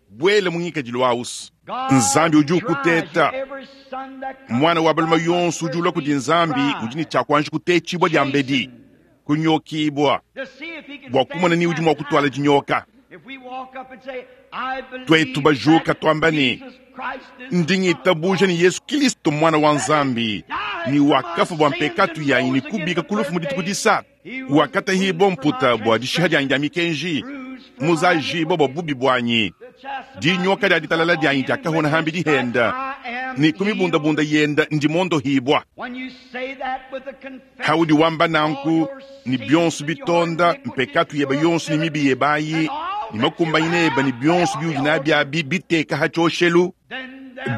Buela mu ngikadilu awu's. Nzambi udi ukuteta. Muana wa balume yonso udi ulua kudi Nzambi udi ne tshia kuanji kutetshibua diambedi, kunyokibua, bua kumona ni udi mua kutuala dinyoka. Tuetu bajuka tuamba ne, Ndi ngitabuja ne Yesu Kilisto Muana wa Nzambi, ne wakafua bua mpekatu yanyi ne kubika ku lufu mu dituku disatu. Wakatahibua mputa bua dishiha dianyi dia mikenji, muzajibua bua bubi buanyi. Dinyoka dia ditalala dianyi diakahona hambidi henda, ne ku mibundabunda yenda ndi mondohibua. Haudi wamba nanku, ne bionso bitonda, mpekatu yebe yonso ne mibi yebe ayi, ne makumbanyina ebe ne bionso biudi nabi abi biteka ha tshioshelu,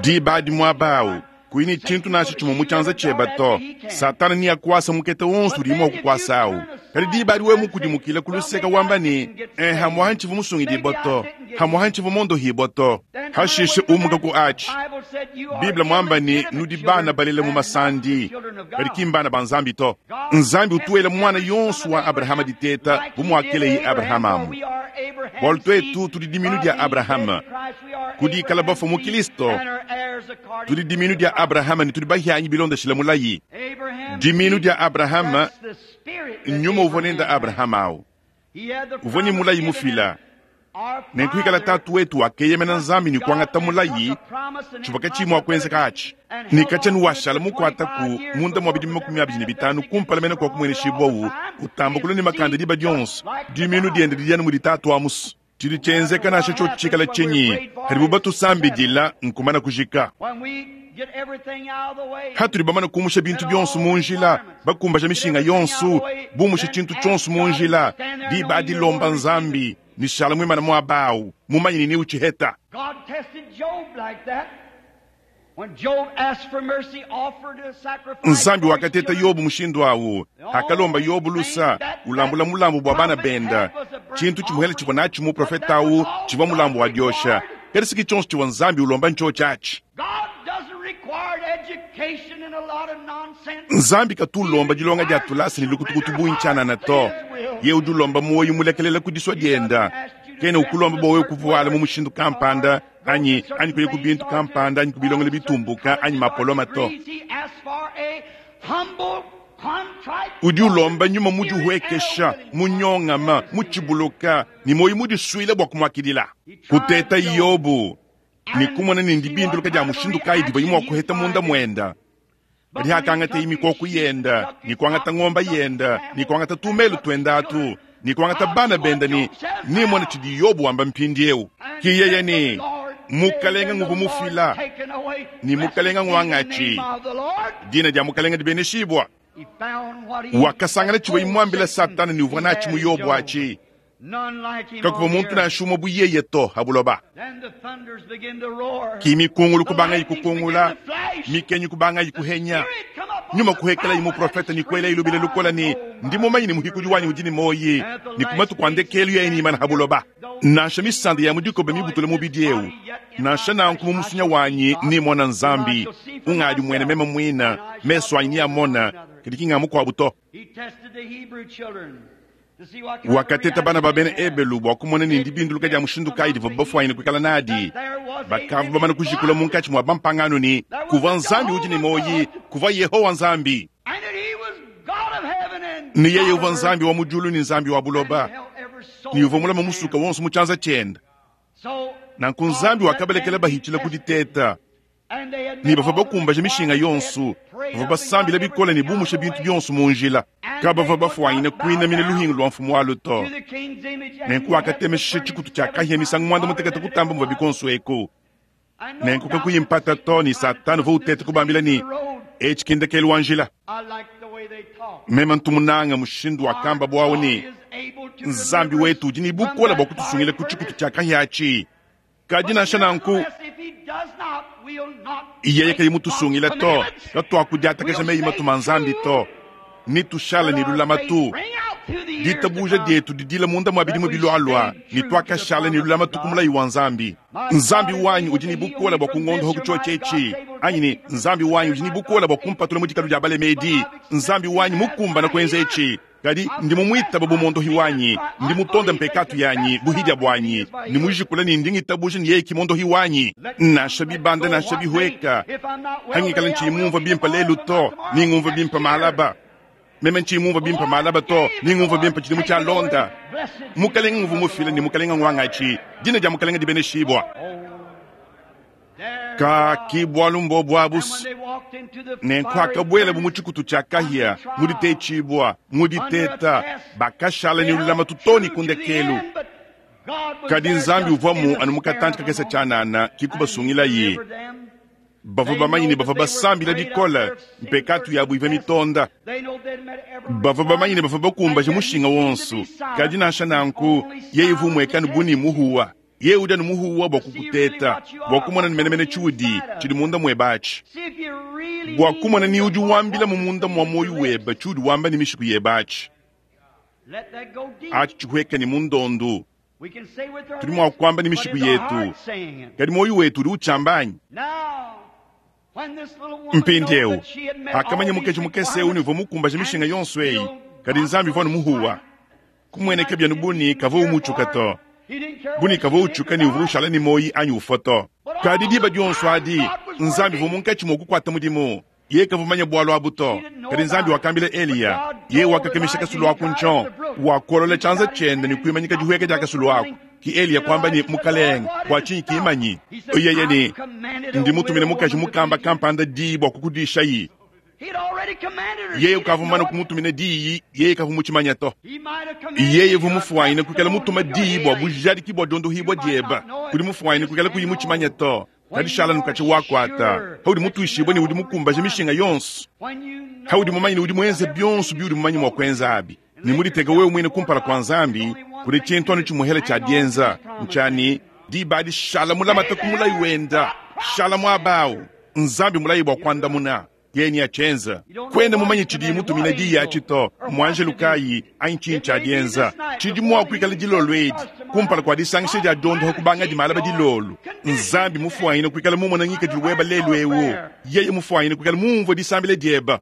diba adi muaba au kuyi ne tshintu nansha tshimue mu tshianza tshiebe to, Satana neakuase mukete wonso udiye mua kukuasa au. Kadi diba adi wewe mukudimukile ku luseke wamba ne, Eh, hamuaha ntshivua musungidibue to, hamuaha ntshivua mondohibue to. Hashishe umuka ku atshi. Bible muamba ne, nudi bana balela mu masandi, kadi ki mbana ba Nzambi to. Nzambi utu wela muana yonso wa Abrahama diteta bu muakeleye Abrahama amu. Bualu tuetu tudi diminu dia Abrahama, ku dikala bafue mu Kristo, tudi diminu dia Abrahama ne tudi bahianyi bilondeshile mulayi. Diminu dia Abrahama, nyuma uvua nende Abrahama au, uvua ne mulayi mufila. Nenku ikala tatu wetu wakeyemena Nzambi ne kuangata mulayi, tshivua katshiyi mua kuenzeka atshi. Ne katshia nuwashala mukuataku munda mua bidimu 25 kumpala mene kua kumueneshibua utamba kulua ne makanda diba dionso, dimiinu diende didi anu mudi tatu amusu. Tshidi tshienzeka nansha tshiotshi tshikala tshinyi, padibu batusambidila, nkumana kujika. Hatudi bamane kumusha bintu bionso mu njila, bakumbaja mishinga yonso, bumusha tshintu tshionso mu njila, diba adi lomba Nzambi ne shala muimane muaba au, mumanye ne neutshiheta. Nzambi wakateta Yobo mushindu au. Akalomba Yobo lusa, ulambula mulambu bua bana benda. Tshintu tshimuhele tshivua natshi muprofete au tshivua mulambu wa diosha. Kadi si ki tshionso tshivua Nzambi ulomba ntshiotshi atshi. Nzambi katu ulomba dilonga dia tulasa ne lukutukutu bungi tshianana to. Yeye udi ulomba muoyo mulekelela ku disua dienda. Kena ukulomba bua wewe kuvuala mu mushindu kampanda anyi anyi kuya ku bintu kampanda anyi kubilongela bitumbuka anyi mapoloma to. Udi ulomba nyuma mudihuekesha, munyongama, mutshibuluka ne muoyo mudisuile bua kumuakidila. Kuteta Yobo ne kumona ne ndibinduluka dia mushindu kayi divuaye mua kuheta munda muenda. Kadi hakangateye mikoko yenda ne kuangata ngomba yenda ne kuangata tumelu tuenda atu ne kuangata bana benda ne, Nemone tshidi Yobo wamba mpindieu. Ki yeye ne, Mukalenga nguvua mufila ne mukalenga nguangatshi. Dina dia mukalenga dibeneshibua. Wakasangana tshivua muambila Satana ne uvua natshi mu Yobo atshi. Kakuvua muntu nansha umue bu yeye to ha buloba. Ki mikungulu kubangayi kukungula, mikenyi kubangayi kuhenya, nyuma kuhekelayi muprofete ne kuelayi lubila lukola ne, Ndi mumanye ne muhikudi wanyi udi ne muoyi, ne ku matuku a ndekelu yeye neimane ha buloba. Nansha misanda ya mu dikoba mibutule mubidi eu, nansha nanku mu musunya wanyi nemona Nzambi, ungadi muena meme muina, mesu anyi neamona, kadi ki nga mukuabu to. Wakateta bana ba bena Ebelu bua kumona ne ndibinduluka dia mushindu kayi divua bafuanyine kuikala nadi. Bakavua bamane kujikula munkatshi mua bampangano ne, kuvua Nzambi udi ne muoyi, kuvua Yehowa Nzambi. Ne yeye uvua Nzambi wa mu diulu ne Nzambi wa buloba, ne uvua mulame musuka wonso mu tshianza tshiende. Nanku Nzambi wakabalekela bahitshila ku diteta, ne bavua bakumbaje mishinga yonso, bavua basambila bikole ne bumusha bintu bionso mu njila. Kabavua bafuanyine kuinamina luhingu lua mfumu walu to. Nenku wakatemesha tshikutu tshia kahia misangu muanda mutekete kutamba muvua bikonso eku. Nenku kakuyi mpata to ne Satana uvua uteta kubambila ne, etshi ki ndekelu wa njila. Meme ntu munanga mushindu wakamba buawu ne, Nzambi wetu udi ne bukole bua kutusungila ku tshikutu tshia kahia atshi. Kadi nansha nanku, yeye kayi mutusungila to, katuakudiatakaja meyi matuma a Nzambi to, netushale ne lulamatu. Ditabuja dietu didila munda mua bidimu bilualua ne tuakashala ne lulamatu ku mulayi wa Nzambi. Nzambi wanyi udi ne bukole bua kungondoha ku tshiotshi etshi, anyi ne Nzambi wanyi udi ne bukole bua kumpatula mu dikalu dia balemedi. Nzambi wanyi mukumbana kuenza etshi. Kadi ndi mumuitaba bu mondohi wanyi, ndi mutonda mpekatu yanyi, buhidia buanyi, ne mujikula ne ndi ngitabuja ne yeye ki mondohi wanyi. Nansha bibanda nansha bihueka, hangikala ntshiyi mumvua bimpe lelu to, ni ngumvua bimpe malaba. Meme ntshiyi mumvua bimpe malaba to, ni ngumvua bimpe tshidimu tshialonda. Mukalenga nguvua mufile ne mukalenga nguangatshi, dina dia mukalenga dibeneshibua. Ka ki bualu mbobu abu nenku akabuelabu mu tshikutu tshia kahia, mu ditetshibua, mu diteta, bakashala ne lulamatu too ne ku ndekelu. Kadi Nzambi uvuamu anu mu katantshi kakese tshianana, ki kubasungilaye. Bavua bamanye ne bavua basambila bikole, mpekatu yabu ivua mitonda. Bavua bamanye ne bavua bakumbaje mushinga wonso, kadi nansha nanku yeye uvua umueka bu ne muhuwa. Yeye udi anu muhuwa bua kukuteta, bua kumona ne menemene tshiudi, tshidi munda muebe atshi, bua kumona ni udi wambila mu munda mua muoyo webe tshiudi wamba ne mishiku yebe atshi. Atshi tshihueke ne mu ndondu. Tudi mua kuamba ne mishiku yetu, kadi muoyo wetu udi utshiamba anyi? Mpindieu, pakamanya mukaji mukese eu ne uvua mukumbaje mishinga yonso eyi, kadi Nzambi uvua anu muhuwa. Kumueneka bianu bu ne kavua umutshuka to, bu ne kavua utshuka ne uvua ushala ne muoyi anyi ufua to. Kadi diba dionso adi, Nzambi uvua munkatshi mua kukuata mudimu. Yeye kavua mumanye bualu abu to. Kadi Nzambi wakambila Eliya, yeye wakakemesha kasulu aku ntshon, wakolola tshianza tshiende ne kuimanyika dihueka dia kasulu aku. Ki Eliya kuamba ne, Mukalenge, bua tshinyi kimanyi? Yeye ne, Ndi mutumine mukaji mukamba kampanda diyi bua kukudishayi. Yeye ukavua mumane kumutumina diyi, yeye kavua mutshimanya to. Yeye uvua mufuanyine kuikala mutuma diyi bua bujadiki bua diondohibua dieba, kudi mufuanyine kuikala kuyi mutshimanya to. Kadi shala nukatshi wakuata, haudi mutuishibue ne udi mukumbaje mishinga yonso, haudi mumanye ne udi muenze bionso biudi mumanye mua kuenza abi, ne muditeke wewe muine kumpala kua Nzambi, kudi tshintu anu tshimuhela tshia dienza, ntshia ne, diba adi shala mulamate ku mulayi wenda, shala muaba au. Nzambi mulayi bua kuandamuna, yeye neatshienze. Kuena mumanye tshidiye mutumine diyi atshi to, mmuanjelu kayi anyi tshinyi tshiadienza. Tshidi mua kuikala dilolo edi, kumpala kua disangisha dia diondoha kubanga dimalaba dilolo. Nzambi mufuanyine kuikala mumone ngikadilu webe lelu eu, yeye mufuanyine kuikala mumvue disambila diebe.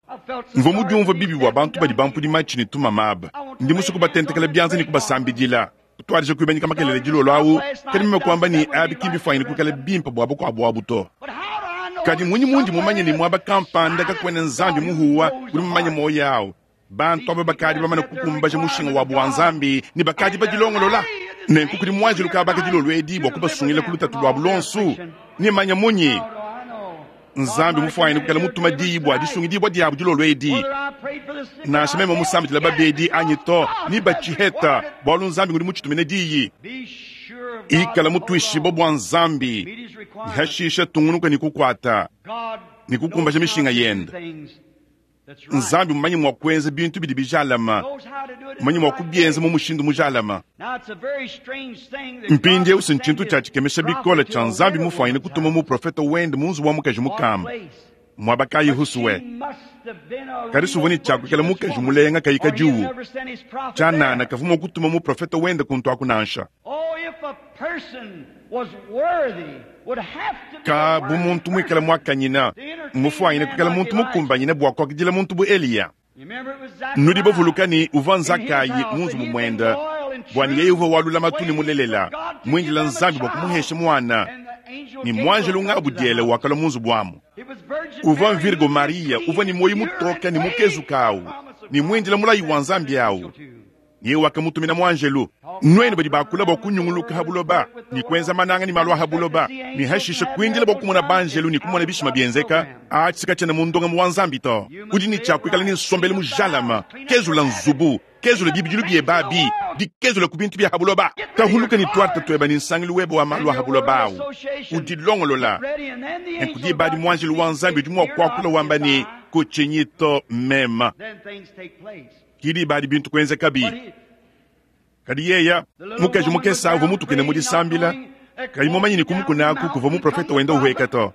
Mvua mudiumvue bibi bua bantu badi bampudi matshi ne tumama aba. Ndi musue kubatentekela bianza ne kubasambidila. Kutuadija kuimanyika makelela dilolo au, kadi meme kuamba ne, abi ki mbifuanyine kuikala bimpe bua bakuabu abu to. Kadi mmunyi mundi mumanye ne muaba kampanda kakuena Nzambi muhuwa udi mumanye muoyo au? Bantu aba bakadi bamane kukumbaja mushinga wabu wa Nzambi ne bakadi badilongolola. Nenku kudi muanjelu kabaka dilolo edi bua kubasungila ku lutatu luabu luonso. Nemanya munyi? Nzambi mufuanyine kuikala mutuma diyi bua disungidibua diabu dilolo edi. Nansha meme musambidila babedi anyi to, ne batshiheta, bualu Nzambi ngudi mutshitumine diyi. Ikala mutuishibue bua Nzambi ne hashisha tungunuka ne kukuata ne kukumbaja mishinga yende. Nzambi mmanye mua kuenza bintu bidi bijalama, mmanye mua kubienza mu mushindu mujalama. Mpindieu si ntshintu tshia tshikemesha bikole tshia Nzambi mufuanyine kutuma muprofete wende mu nzubu wa mukaji mukamba muaba kayi husuwe. Kadi suvua ne tshia kuikala mukaji mulenga kayi kadiwu tshianana, kavua mua kutuma muprofete wende kuntu aku nansha. Ka bu muntu muikale muakanyina, mmufuanyine kuikala muntu mukumbanyine bua kuakidila muntu bu Eliya. Nudi bavuluka ne uvua Nzakayi mu nzubu muende, bua ne yeye uvua wa lulamatu ne mulelela, muindila Nzambi bua kumuhesha muana, ne muanjelu Ngabudiele wakalua mu nzubu amu. Uvua Virgo Maria, uvua ne muoyo mutoke ne mukezuke awu, ne muindila mulayi wa Nzambi awu. Yeye wakamutumina muanjelu. Nuenu badi bakula bua kunyunguluka ha buloba ne kuenza mananga ne malu a ha buloba, ne hashishe kuindila bua kumona banjelu ne kumona bishima bienzeka, atshi katshiena mu ndongamu wa Nzambi to. Udi ne tshia kuikala ne nsombelu mujalama, kezula nzubu, kezula bibidilu biebe abi, dikezula ku bintu bia ha buloba. Tahuluka ne tuarte tuebe ne nsangilu webe wa malu a ha buloba awu, udilongolola. Nenku diba adi muanjelu wa Nzambi udi mua kuakula wamba ne, Kutshinyi to, mema. Ki diba adi bintu kuenzekabi. Kadi yeya mukaji mukese uvua mutukine mu disambila, kayi mumanye ne ku mukuna aku kuvua muprofete wenda uhueka to.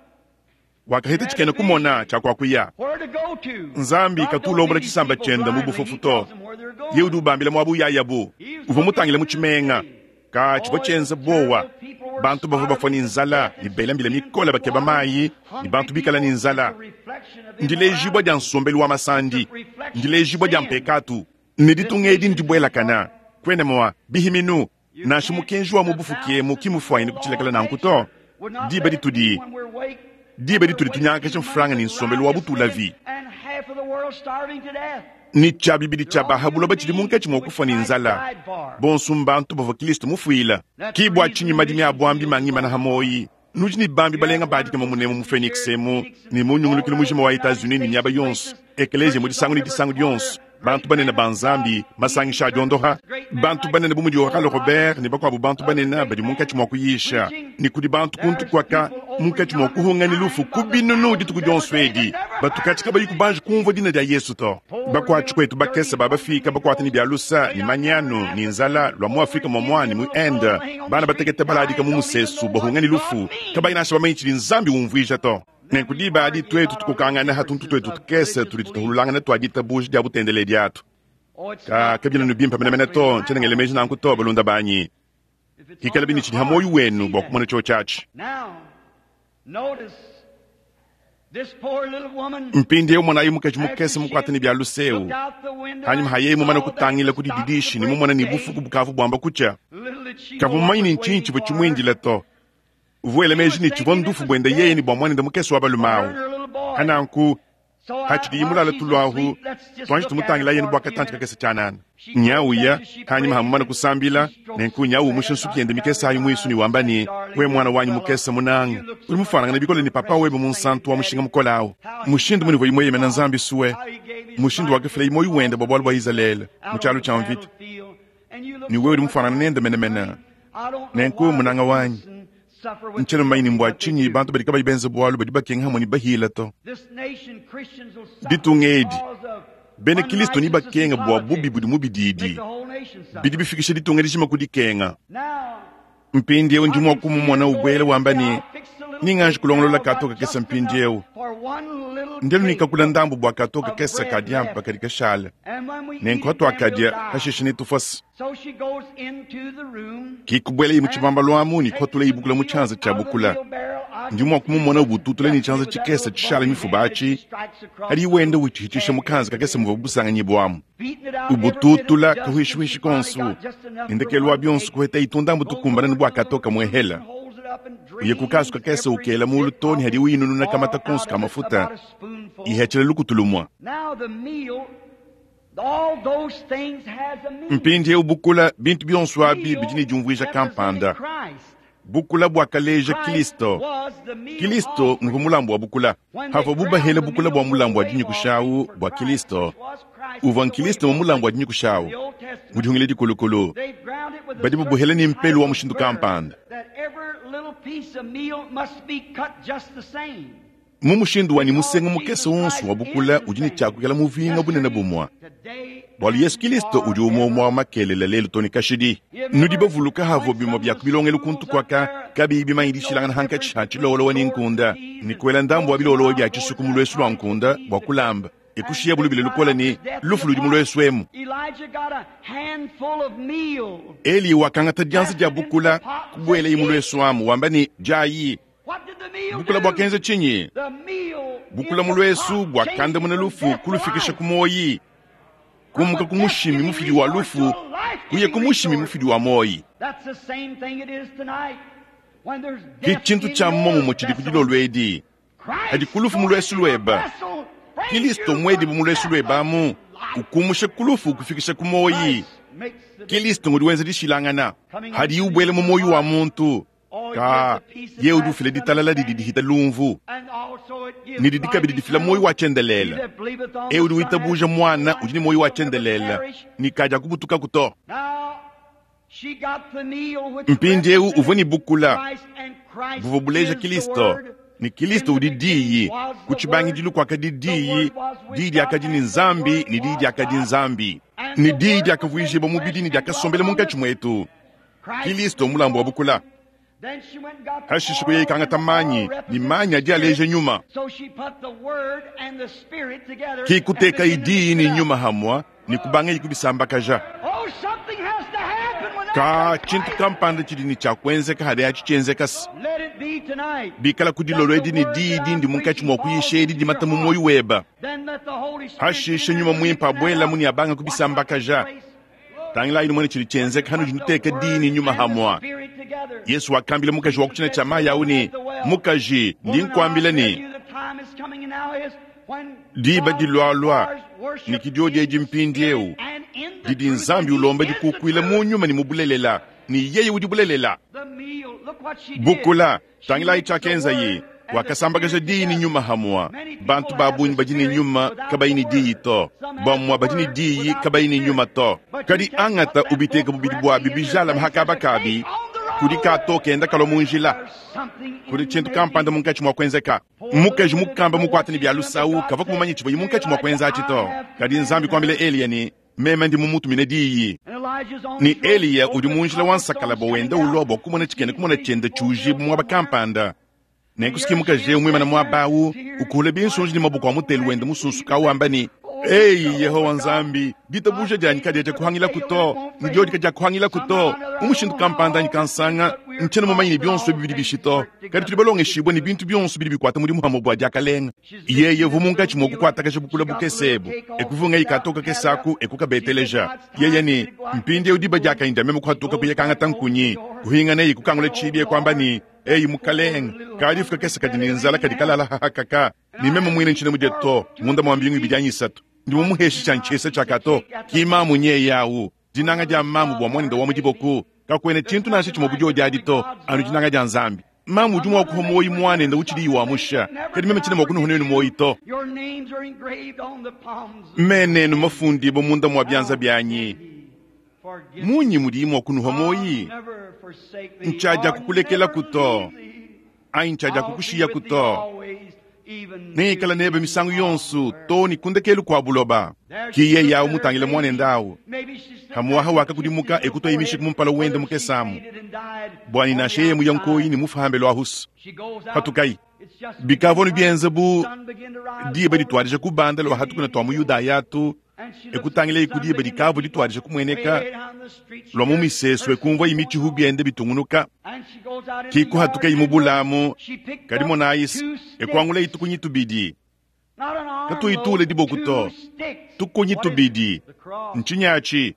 Wakaheta tshikena kumona tshia kuakuya. Nzambi katu ulombola tshisamba tshiende mu bufofu to. Yeye udi ubambila muaba uyayabu. Uvua mutangile mu tshimenga. Ka tshivua tshienza buowa. Bantu bavua bafua ne nzala ne bela mbila mikole bakeba mayi, ne bantu bikale ne nzala. Ndilejibua dia nsombelu wa masandi, ndilejibua dia mpekatu. Ne ditunga edi ndibuelakana. Kuena mua bihiminu, nansha mukenji wa mu bufuki emu ki mufuanyine kutshilekela nanku to. Diba ditudi diba ditudi tunyangakaja mfranga ne nsombelu wa butulavi, ne tshia bibidi tshia ba ha buloba tshidi munkatshi mua kufua ne nzala, bonso mbantu bavua Kristo mufuila. Ki bua tshinyi madimi a buambi mangimana ha muoyi. Nudi ne bambi balenga ba dikema munemu mu Phoenix emu ne mu nyungulukilu mujima wa Etats-Unis ne miaba yonso, ekeleziya mu disangu ne disangu dionso, bantu banene ba Nzambi, masangisha a diondoha, bantu banene bu mudi Oral Robert ne bakuabu bantu banene badi munkatshi mua kuyisha, ne kudi bantu kuntu kuaka munkatshi mua kuhunga ne lufu ku binunu dituku dionso edi, batu katshi kabayi kubanji kumvua dina dia Yesu to. Bakuatshi kuetu bakese ba bafika bakuata ne bia lusa ne manyanu ne nzala lua mu Afrika muamua ne mu Inde, bana batekete baladika mu musesu bahunga ne lufu, kabayi nansha bamanye tshidi Nzambi umvuija to. Nenku diba adi tuetu tukokangana ha tuntu tuetu tukese tudi tutahululangana tua ditabuja dia butendeledi atu. Ka kabiena ne bimpe menemene to, ntshiena ngela meji nanku to, balunda banyi. Hikalabi ne tshidi ha muoyo wenu bua kumona tshiotshi atshi. Mpindieu monayi mukaji mukese mukuate ne bia luse eu. Panyima ha yeye mumane kutangila ku dididishi ne mumone ne bufuku bukavua buamba kutshia, kavua mumanye ne ntshinyi tshivua tshimuindile to. Uvua wela meji ne tshivua ndufu buende yeye ne bua muanende mukese wa balume au. Pa nanku, hatshidiye mulale tulu ahu, tuanji tumutangilaye anu bua katantshi kakese tshianana. Nya uya, panyima ha mumane kusambila, nenku nya umusha nsuki yende mikese ayi muisu ne wamba ne, We muana wanyi mukese munanga, udi mufuanangane bikole ne papa webe munsantu wa mushinga mukole au. Mushindu munivua mueyemena Nzambi sue, mushindu wakafilaye muoyo wende bua bualu bua Izalele mu tshialu tshia mvita, ne wewe udi mufuanangane nende menemene. Nenku, munanga wanyi, ntshiena mumanye ne mbua tshinyi bantu badi kabayi benza bualu badi bakenga hamue ne bahila to. Ditunga edi, bena Kristo nebakenga bua bubi budi mu bididi bidi bifikisha ditunga dijima ku dikenga. Mpindieu ndi mua kumumona ubuela wamba ne, Ninganji kulongolola kato kakese mpindieu. Ndelu ne kakula ndambu bua kato kakese ka diampa kadi kashala. Nenku hatuakadia, hashishe netufuase. Ki kubuelaye mu tshibambalu amu ne kuhatulaye bukula mu tshianza tshia bukula. Ndi mua kumumona ubututula ne tshianza tshikese tshishala mifuba atshi, hadiye wenda utshihitshisha mu kanza kakese muvua busanganyibua amu. Ubututula kahuishihuishi konso, ne ndekelu wa bionso kuhetaye tundambu tukumbana ne bua katoka muehela. Uye ku kasu kakese ukela mulu to ne hadiye uyinununa kamata konso ka mafuta, ihetshela lukutu lumua. Mpindieu bukula, bintu bionso abi bidi ne diumvuija kampanda. Bukula buakaleja Kristo. Kristo nguvua mulambu wa bukula. Pavuabu bahela bukula bua mulambu wa dinyikusha au bua Kristo, uvua Nkristo mu mulambu wa dinyikusha au mu dihungila dikulukulu. Badi babuhela ne mpelu wa mushindu kampanda. Mu mushindu wa ne musenga mukese wonso wa bukula udi ne tshia kuikala muvinga bunene bumue, bualu Yesu Kilisto udi umue umue wa makelela lelu too ne kashidi. Nudi bavuluka havua bimue bia ku bilongelu kuntu kuaka kabiyi bimanye dishilangana hankatshi ha tshilowolowa ne nkunda, ne kuela ndambu wa bilowolowa bia tshisuku mu luesu lua nkunda bua kulamba, e kushiya lubila lukole ne, Lufu ludi mu luesu emu! Eliya wakangata dianza dia bukula, kubuelaye mu luesu amu, wamba ne, Diayi! Bukula buakenza tshinyi? Bukula mu luesu buakandamuna lufu kulufikisha ku muoyi, kumuka ku mushimi mufidi wa lufu kuya ku mushimi mufidi wa muoyi. Ke tshintu tshia muomumue tshidi ku dilolo edi. Hadi ku lufu mu luesu lueba, Kilisto muedibu mu luesu lueba amu, ukumusha ku lufu ukufikisha ku muoyi. Kilisto ngudi wenza dishilangana. Hadiye ubuela mu muoyi wa muntu, Ka, yeye udi ufila ditalala didi dihita lumvu, ne didi kabidi difila muoyo wa tshiendelele. Eu udi witabuja Muana udi ne muoyo wa tshiendelele, ne kadiakubutukaku to. Mpindieu uvua ne bukula buvua buleja Kristo, ne Kristo udi Diyi. Ku tshibangidilu kuakadi Diyi, Diyi diakadi ne Nzambi, ne Diyi diakadi Nzambi. Ne Diyi diakavuijibua mubidi ne diakasombela munkatshi muetu. Kilisto mulambu wa bukula. Hashishe kuya ikangata manyi, ne manyi adi aleja nyuma. Ki kutekayi diyi ne nyuma hamua ne kubangayi kubisambakaja. Ka tshintu kampanda tshidi ne tshia kuenzeka hadi atshi tshienzeka se bikala ku dilolo edi ne diyi dindi munkatshi mua kuyisha edi dimata mu muoyo weba. Hashishe nyuma muimpe abuelamu ne abanga kubisambakaja. Tangilayi numone tshidi tshienzeka hanudi nuteka diyi ne nyuma hamua. Yesu wakambila mukaji wa ku tshina tshia mayi au ne, Mukaji, ndi nkuambila ne, diba dilualua, ne ke diodi edi mpindieu, didi Nzambi ulomba dikukuila mu nyuma ne mu bulelela, ne yeye udi bulelela. Bukula, Tangilayi tshiakenzaye, wakasambakaja diyi ne nyuma hamua. Bantu ba bungi badi ne nyuma kabayi ne diyi to, bamue badi ne diyi kabayi ne nyuma to. Kadi angata ubiteka bubidi buabi bijalame ha kaba kabi, kudi kato kenda kalua mu njila, kudi tshintu kampanda munkatshi mua kuenzeka. Mukaji mukamba mukuate ne bia lusau kavua mumanye tshivuaye munkatshi mua kuenza atshi to. Kadi Nzambi kuambila Eliya ne, Meme ndi mumutumine diyi. Ne Eliya udi mu njila wa nsakalabua wenda ulua bua kumona tshikena kumona tshiende tshiujibua muaba kampanda. Nenku siki mukaji eu muimane muaba au, ukuula binsonji ne maboko a mutelu wende musunsuka au wamba ne, Eyi, Yehowa Nzambi, ditabuja dianyi kadiakuhangilaku to, ndiodi kadiakuhangilaku to. Mu mushindu kampanda anyi kansanga, ntshiena mumanye ne bionso ebi bidi bishi to, kadi tudi balongeshibue ne bintu bionso bidi bikuata mudimu hamue bua diakalenga. Yeye uvua munkatshi mua kukuatakaja bukula bukese ebu, e kuvungaye kato kakese aku e kukabeteleja. Yeye ne, Mpindieu diba diakanyi dia meme kuhatuka kuya kangata nkunyi. Kuhinganaye kukangula tshibi e kuamba ne, Eyi mukalenge, kadifu kakese kadi ne nzala kadi kalala hahakaka, ne meme muine ntshiena mudie to munda mua mbingu ibidi anyi isatu. Ndi mumuheshe tshia ntshiesa tshia kato. Ki mamu nyeye au. Dinanga dia mamu bua muanende wa mu diboko, kakuena tshintu nansha tshimue bu diodi adi to, anu dinanga dia Nzambi. Mamu udi mua kuha muoyo muanende utshidiyi wamusha, kadi meme tshiena mua kunuha nuenu muoyo to. Mena enu mafundibue munda mua bianza bianyi, munyi mudiyi mua kunuha muoyi? Ntshiadiakukulekelaku to, anyi ntshiadiakukushiyaku to. Nengikale nebe misangu yonso too ne ku ndekelu kua buloba. Ki yeye awu mutangile muanende awu. Hamuaha wakakudimuka e kutuaye mishiku mu mpala wende mukese amu, bua ne nansha yeye muya nkoyi ne mufu hambelu ahusu. Patukayi. Bikavua anu bienze bu diba dituadija kubanda lua hatukuna tua mu Yudaya atu, e kutangilaye ku diba dikavua dituadija kumueneka lua mu misesu, e kumvuaye mitshihu bienda bitungunuka. Ki kuhatukayi mu bulamu, kadi monayi, e kuangulaye tukunyi tubidi, katuyi tuule diboku to, tukunyi tubidi. Ntshinyi atshi?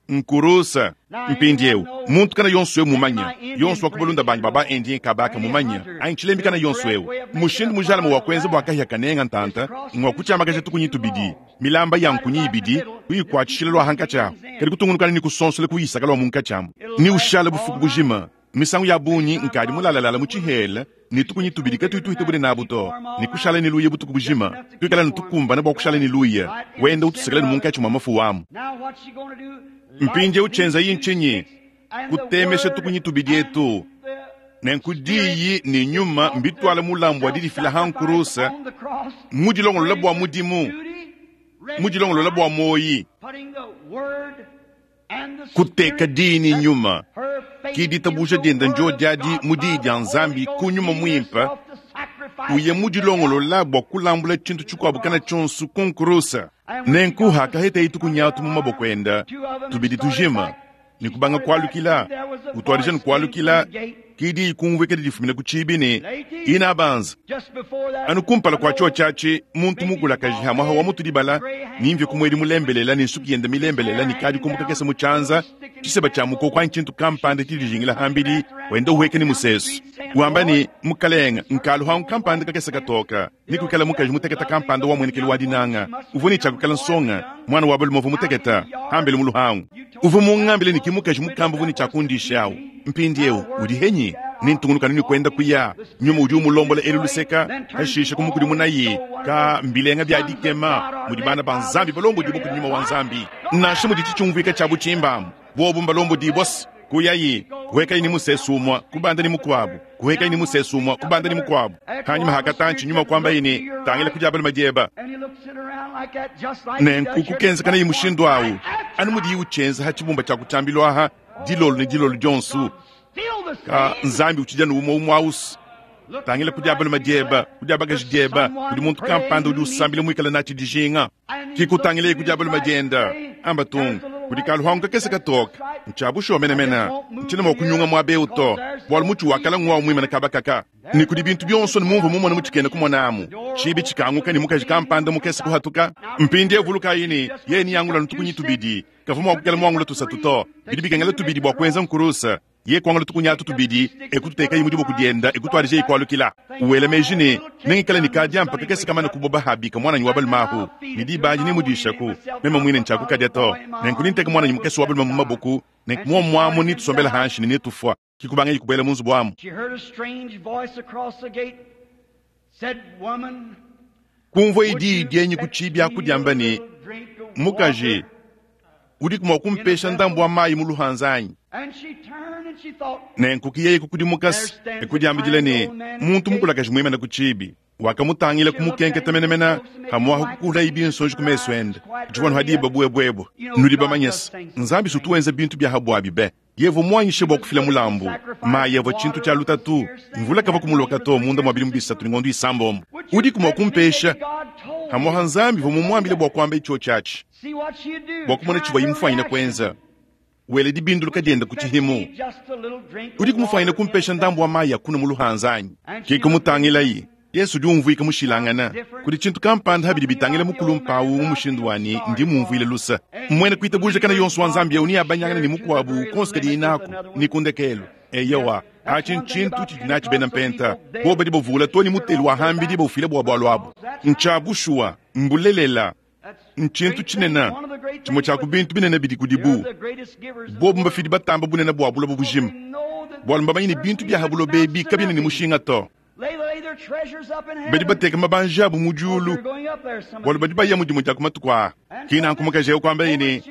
Nkurusa. Mpindieu, muntu kana yonso eu mumanya, yonso wa ku balunda banyi ba ba-Indien kabaka mumanya, anyi tshilembi kana yonso eu, mushindu mujalame wa kuenza bua kahia kanenga ntanta ngua kutshiamakaja tukunyi tubidi, milamba ya nkunyi ibidi, kuyikuatshishila lua hankatshi ahu, kadi kutungunukana ne kusonsola kuyisaka lua munkatshi amu, ne ushala bufuku bujima. Misangu ya bungi nkadi mulalalala mu tshihela ne tukunyi tubidi katuyi tuhita bune nabu to, ne kushala ne luya butuku bujima, tuikala ne tukumbana bua kushala ne luya, wenda utusekela ne munkatshi mua mafu amu. Mpindieu tshienzayi ntshinyi? Kutemesha tukunyi tubidi etu. Nenku Diyi ne Nyuma mbituala mulambu wa didifila ha nkurusa, mu dilongolola bua mudimu, mu dilongolola bua muoyi. Kuteka Diyi ne Nyuma, ki ditabuja dienda ndio diadi mu Diyi dia Nzambi ku Nyuma Muimpe, uye mu dilongolola bua kulambula tshintu tshikuabu kana tshionso ku nkurusa. Nenku hakahetaye tukunyi atu mu maboko enda, tubidi tujima, ne kubanga kualukila, utuadija ne kualukila, ki diyi kumvuika didifumina ku tshibi ne, Inabanza. Anu kumpala kua tshiotshi atshi, muntu mukulakaji hamuaha wa mutu dibala, ne mvia ku muedi mulembelela ne nsuki yenda milembelela ne kadi kumbuka kakese mu tshianza, tshiseba tshia mukoko anyi tshintu kampanda tshidijingila hambidi, wenda uhueka ne musesu, wamba ne, Mukalenga, nkalu hangu kampanda kakese katoka. Ne kuikala mukaji muteketa kampanda wa muenekelu wa dinanga, uvua ne tshia kuikala nsonga, muana wa balume uvua muteketa, hambele mu luhangu. Uvua mungambile ne ki mukaji mukamba uvua ne tshia kundisha awu. Mpindiewu udi henyi? Ne ntungunuka anu ne kuenda kuya. Nyuma udi umulombola elu luseka, pashishe kumukudimunaye. Ka mbilenga bia dikema mudi bana ba Nzambi balombodibua kudi Nyuma wa Nzambi! Nansha muditshi tshiumvuika tshia butshimba amu, buobu mbalombodibua. Kuyayi, kuhekayi ne musesu umue, kubanda ne mukuabu, kuhekayi ne musesu umue, kubanda ne mukuabu. Hanyima ha katantshi, Nyuma kuambaye ne, Tangila ku dia balume dieba. Nenku kukenzekanayi mushindu awu, anu mudiyi utshienza ha tshibumba tshia ku tshiambilu aha, dilolo ne dilolo dionso. Ka Nzambi utshidi anu umue umue awusu. Tangila ku dia balume dieba, ku dia bakaji dieba, kudi muntu kampanda udi usambila muikale natshi dijinga. Ki kutangileye ku dia balume dienda, amba tung, kudi kaluhangu kakese katoke. Ntshia bushuwa menemene, ntshiena mua kunyunga muaba eu to, bualu mutshi wa kala nguawu muimane kaba kaka. Ne kudi bintu bionso ne mumvua mumone mu tshikena kumona amu, tshibi tshikanguka ne mukaji kampanda mukese kuhatuka. Mpindieu vulukayi ne, yeye neangule anu tukunyi tubidi, kavua mua kuikala muangule tusatu to. Bidi bikengela tubidi bua kuenza nkuruse. Yeye kuangula tukunyi atu tubidi, e kututekaye mu diboko diende, e kutuadijaye kualukila. Wela meji ne, Nengikale ne kadiampa kakese kamane kuboba habika muananyi wa balume ahu, ne diba adi nemudishaku. Meme muine ntshiakukadia to. Nenku nenteke muananyi mukese wa balume mu maboku, nenku muomu amu netusombele hanshi ne netufua. Ke kubangaye kubuela mu nzubu amu. Kumvuaye diyi dienyi ku tshiibi aku diamba ne, Mukaji, udiku mua kumpesha ndambu wa mayi mu luhanza anyi? Nenku ke yeye kukudimuka e kudiambidila ne, Muntu mukulakaji muimane ku tshiibi. Wakamutangila kumukenketa menemene, pamuapa kukuulaye binsonji ku mesu ende. Ditshivua anu ha diba buebuebue. Nudi bamanye se, Nzambi si utu wenza bintu bia ha buabi be. Yehowa mmuanyishe bua kufila mulambu. Mayi avua tshintu tshia lutatu. Mvula kavua kumuloka to munda mua bidimu bisatu ne ngondo isambombo. Udiku mua kumpesha? Pamuapa Nzambi uvua mumuambile bua kuamba tshiotshi atshi bua kumona tshivuaye mufuanyine kuenza. Wele dibinduluka diende ku tshihimu. Udiku mufuanyine kumpesha ndambu wa mayi a kunua mu luhanza anyi? Ke kumutangilaye. Yesu udi umvuika mushilangane. Kudi tshintu kampanda ha bidi bitangila mukulumpe au mu mushindu wa ne, ndi mumvuile luse. Muena kuitabuja kana yonso wa Nzambi eu neabanyangane ne mukuabu konso kadiye naku, ne ku ndekelu. Eyowa, atshi ntshintu tshidi natshi bena mpenta. Bobu badi bavula too ne mutelu wa hambidi baufila bua bualu abu. Ntshia bushuwa, mbulelela. Ntshintu tshinene, tshimue tshia ku bintu binene bidi kudibu. Bobu mbafidi batamba bunene bua buloba bujima, bualu mbamanye ne bintu bia ha buloba ebi kabiena ne mushinga to. Badi bateka mabanji abu mu diulu, bualu badi baya mu dimue dia ku matuku aa. Ke nanku mukaji eu kuambaye ne,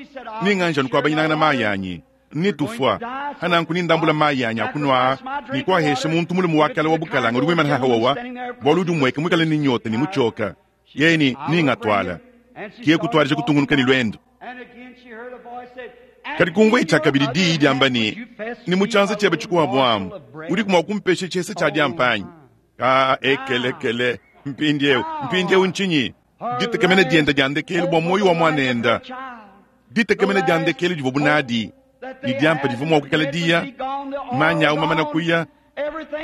Nenganji anu kuabanyinangana mayi anyi, ne tufua. Hananku nendambula mayi anyi a kunua aa ne kuahesha muntu mulume wa kale wa bukalanga udi muimane haha wawa, bualu udi umueka muikale ne nyota ne mutshioka. Yeye ne, Nengatuala. Ke kutuadija kutungunuka ne luendu. Kadi kumvuaye tshiakabidi diyi diamba ne, Ne mu tshianza tshiebe tshikuabu amu, udiku mua kumpesha tshihesa tshia diampa anyi? Aa, ekelekele! Mpindieu, mpindieu ntshinyi? Ditekemena diende dia ndekelu bua muoyo wa muanende, ditekemena dia ndekelu divuabu nadi ne diampa divua mua kuikala diya, manyi au mamana kuya,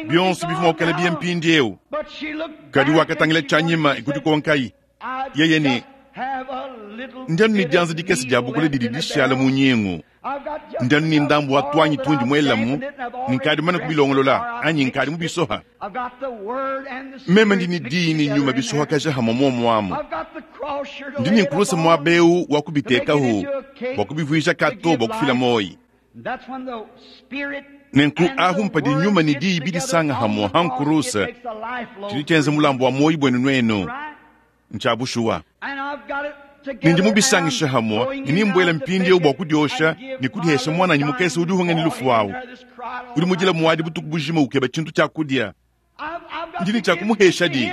bionso bivua mua kuikala biya mpindieu. Kadi wakatangila tshianyima e kudikonkaye yeye ne, Ndi anu ne dianza dikese dia bukula didi dishala mu nyingu, ndi anu ne ndambu wa tuanyi tundi muelamu, ne nkadi mumane kubilongolola anyi nkadi mubisoha. Meme ndi ne diyi ne nyuma bisohakaja hamue muomu amu. Ndi ne nkuluse muaba eu wa kubitekahu bua kubivuija kato bua kufila muoyi. Nenku ahu mpadi nyuma ne diyi bidisanga hamue ha nkuruse, tshidi tshienza mulambu wa muoyi buenu nuenu. Ntshia bushuwa. Ne ndi mubisangishe hamua, ne nimbuela mpindieu bua kudiosha ne kudihesha muananyi mukese udi uhunga ne lufu awu. Udi mudila muadi butuku bujima ukeba tshintu tshia kudia. Ndi ne tshia kumuhesha di.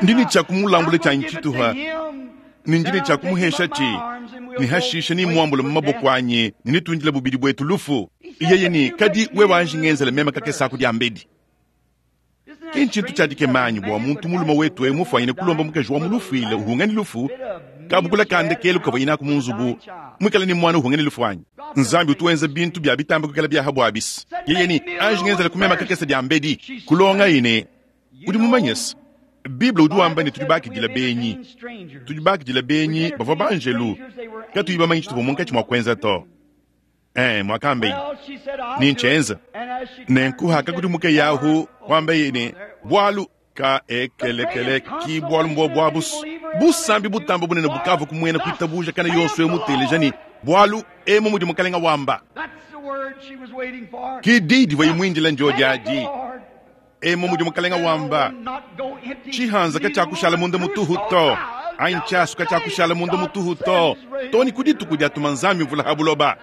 Ndi ne tshia kumulambula tshianyi tshituha, ne ndi ne tshia kumuhesha tshi, ne hashishe nimuambule mu maboko anyi, ne netundile bubidi buetu lufu. Yeye ne, Kadi wewe anji ngenzele meme kakese aku diambedi. Ki ntshintu tshia dikema anyi bua muntu mulume wetu eu mufuanyine kulomba mukaji wa mulufuile uhunga ne lufu, kabukula ka ndekelu kavuaye naku mu nzubu, muikale ne muana uhunga ne lufu anyi? Nzambi utu wenza bintu bia bitamba kuikala bia ha buabis. Yeye ne, Anji ngenzele ku mema kakese diambedi. Kulongayi ne, Udi mumanye se, Bible udi wamba ne tudi bakidila benyi. Tudi bakidila benyi bavua banjelu, katuyi bamanye tshituvua munkatshi mua kuenza to. Eh, muakambeye ne ntshienza. Nenku hakakudimuka ahu, kuambeye ne, Bualu ka ekelekele ki bualu mbuobu abu busambi butamba bunene bukavua ku muena kuitabuja kana yonso eu muteleja ne, Bualu emu mudi Mukalenga wamba. Ki di divuaye muindila ndiodi adi. Emu mudi Mukalenga wamba, tshihanza katshiakushala munda mutuhu to, anyi tshiasu katshiakushala munda mutuhu to, to ne ku dituku diatuma Nzambi mvula ha buloba.